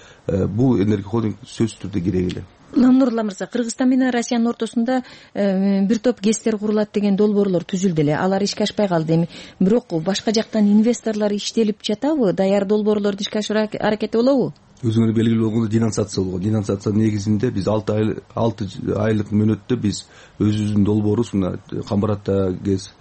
бул энергия холдинг сөзсүз түрдө керек эле. Нурлан мырза, Кыргызстан менен Россиянын ортосунда бир топ гэстер курулат деген долбоорлор түзүлдү эле. Алар ишке ашпай калды эми. Бирок башка жактан инвесторлор иштелип жатабы? Даяр долбоорлорду ишке ашыруу аракети болобу? Өзүңөр белгилүү болгондой денонсация болгон. Денонсациянын негизинде биз алты ай алты айлык мөөнөттө биз өзүбүздүн долбоорубуз мына Камбаратта гэс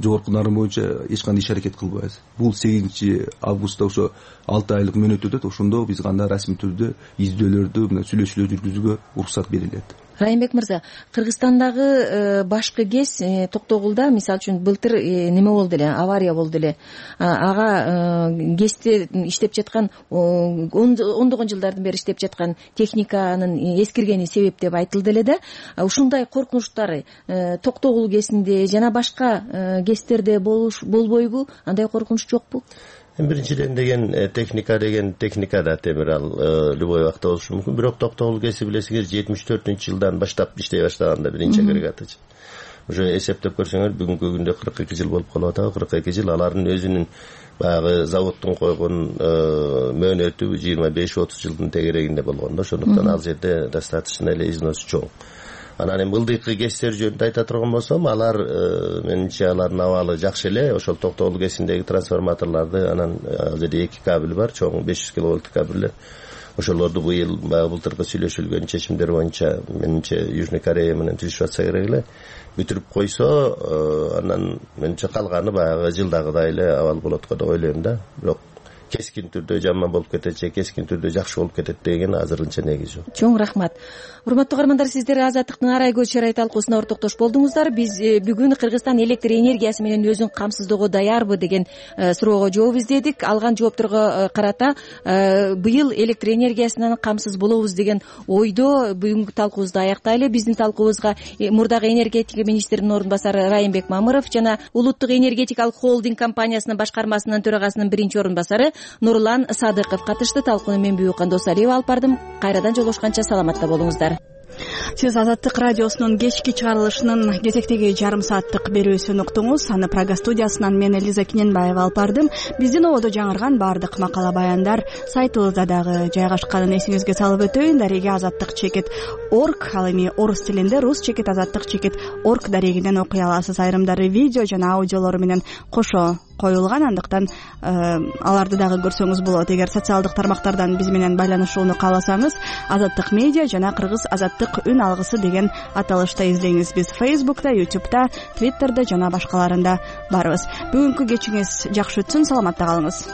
жогорку нарын боюнча эч кандай иш аракет кылбайбыз. Бул сегизинчи августта ошо алты айлык мөөнөт өтөт. Ошондо биз гана расмий түрдө издөөлөрдү, мына сүйлөшүүлөр жүргүзүүгө уруксат берилет. Райымбек мырза, Кыргызстандагы башкы гэс Токтогулда мисалы үчүн былтыр неме болду эле, авария болду эле. Ага гэсти иштеп жаткан ондогон жылдардан бери иштеп жаткан техниканын эскиргени себеп деп айтылды эле да. Ушундай коркунучтар Токтогул гэсинде жана башка гэстерде болбойбу? Андай коркунуч жокпу? Биринчиден деген техника деген техника да темир, ал любой убакта болушу мүмкүн. Бирок Токтогул гэси билесиңер жетимиш төртүнчү жылдан баштап иштей баштаганда биринчи агрегаты. Уже эсептеп көрсөңөр бүгүнкү күндө кырк эки жыл болуп калып атат. кырк эки жыл алардын өзүнүн баягы заводдун койгон мөөнөтү жыйырма беш отуз жылдын тегерегинде болгон да. Ошондуктан ал жерде достаточно эле износ чоң. Анан эми ылдыйкы гэстер жөнүндө айта турган болсом, алар менимче алардын абалы жакшы эле. Ошол Токтогул гэсиндеги трансформаторлорду, анан ал жерде эки кабель бар, чоң беш жүз киловольттук кабелдер. Ошолорду быйыл былтыркы сүйлөшүлгөн чечимдер боюнча менимче Южный Корея менен түзүшүп атса керек эле. Бүтүрүп койсо, анан менимче калганы баягы жылдагыдай эле абал болот го деп ойлойм да. Бирок кескин түрдө жаман болуп кетет же кескин түрдө жакшы болуп кетет деген азырынча негиз жок. Чоң рахмат. Урматтуу каармандар, сиздер Азаттыктын Арай көз чырай талкуусуна ортоктош болдуңуздар. Биз бүгүн Кыргызстан электр энергиясы менен өзүн камсыздоого даярбы деген суроого жооп издедик. Алган жоопторго карата быйыл электр энергиясынан камсыз болобуз деген ойдо бүгүнкү талкуубузду аяктайлы. Биздин талкуубузга мурдагы энергетика министринин орун басары Райымбек Мамыров жана Улуттук энергетикалык холдинг компаниясынын башкармасынын төрагасынын биринчи орун басары Нурлан Садыков катышты. Талкууну мен Бүйүкан Досалиева алып бардым. Кайрадан жолугушканча саламатта болуңуздар. Сиз Азаттык радиосунун кечки чыгарылышынын кезектеги жарым сааттык берүүсүн уктуңуз. Аны Прага студиясынан мен Элиза Киненбаева алып бардым. Биздин ободо жаңырган баардык макала баяндар сайтыбызда дагы жайгашканын эсиңизге салып өтөйүн. Дареги азаттык чекит орг, ал эми орус тилинде рус чекит азаттык чекит орг дарегинен окуй аласыз. Айрымдары видео жана аудиолору менен кошо коюлган, андыктан аларды дагы көрсөңүз болот. Эгер социалдык тармактардан биз менен байланышууну кааласаңыз, Азаттык медиа жана Кыргыз Азаттык үн алгысы деген аталышта издейиңиз. Биз Facebook'та, YouTube'да, Twitter'да жана башкаларында барбыз. Бүгүнкү кечиңиз жакшы өтсүн, саламатта калыңыз.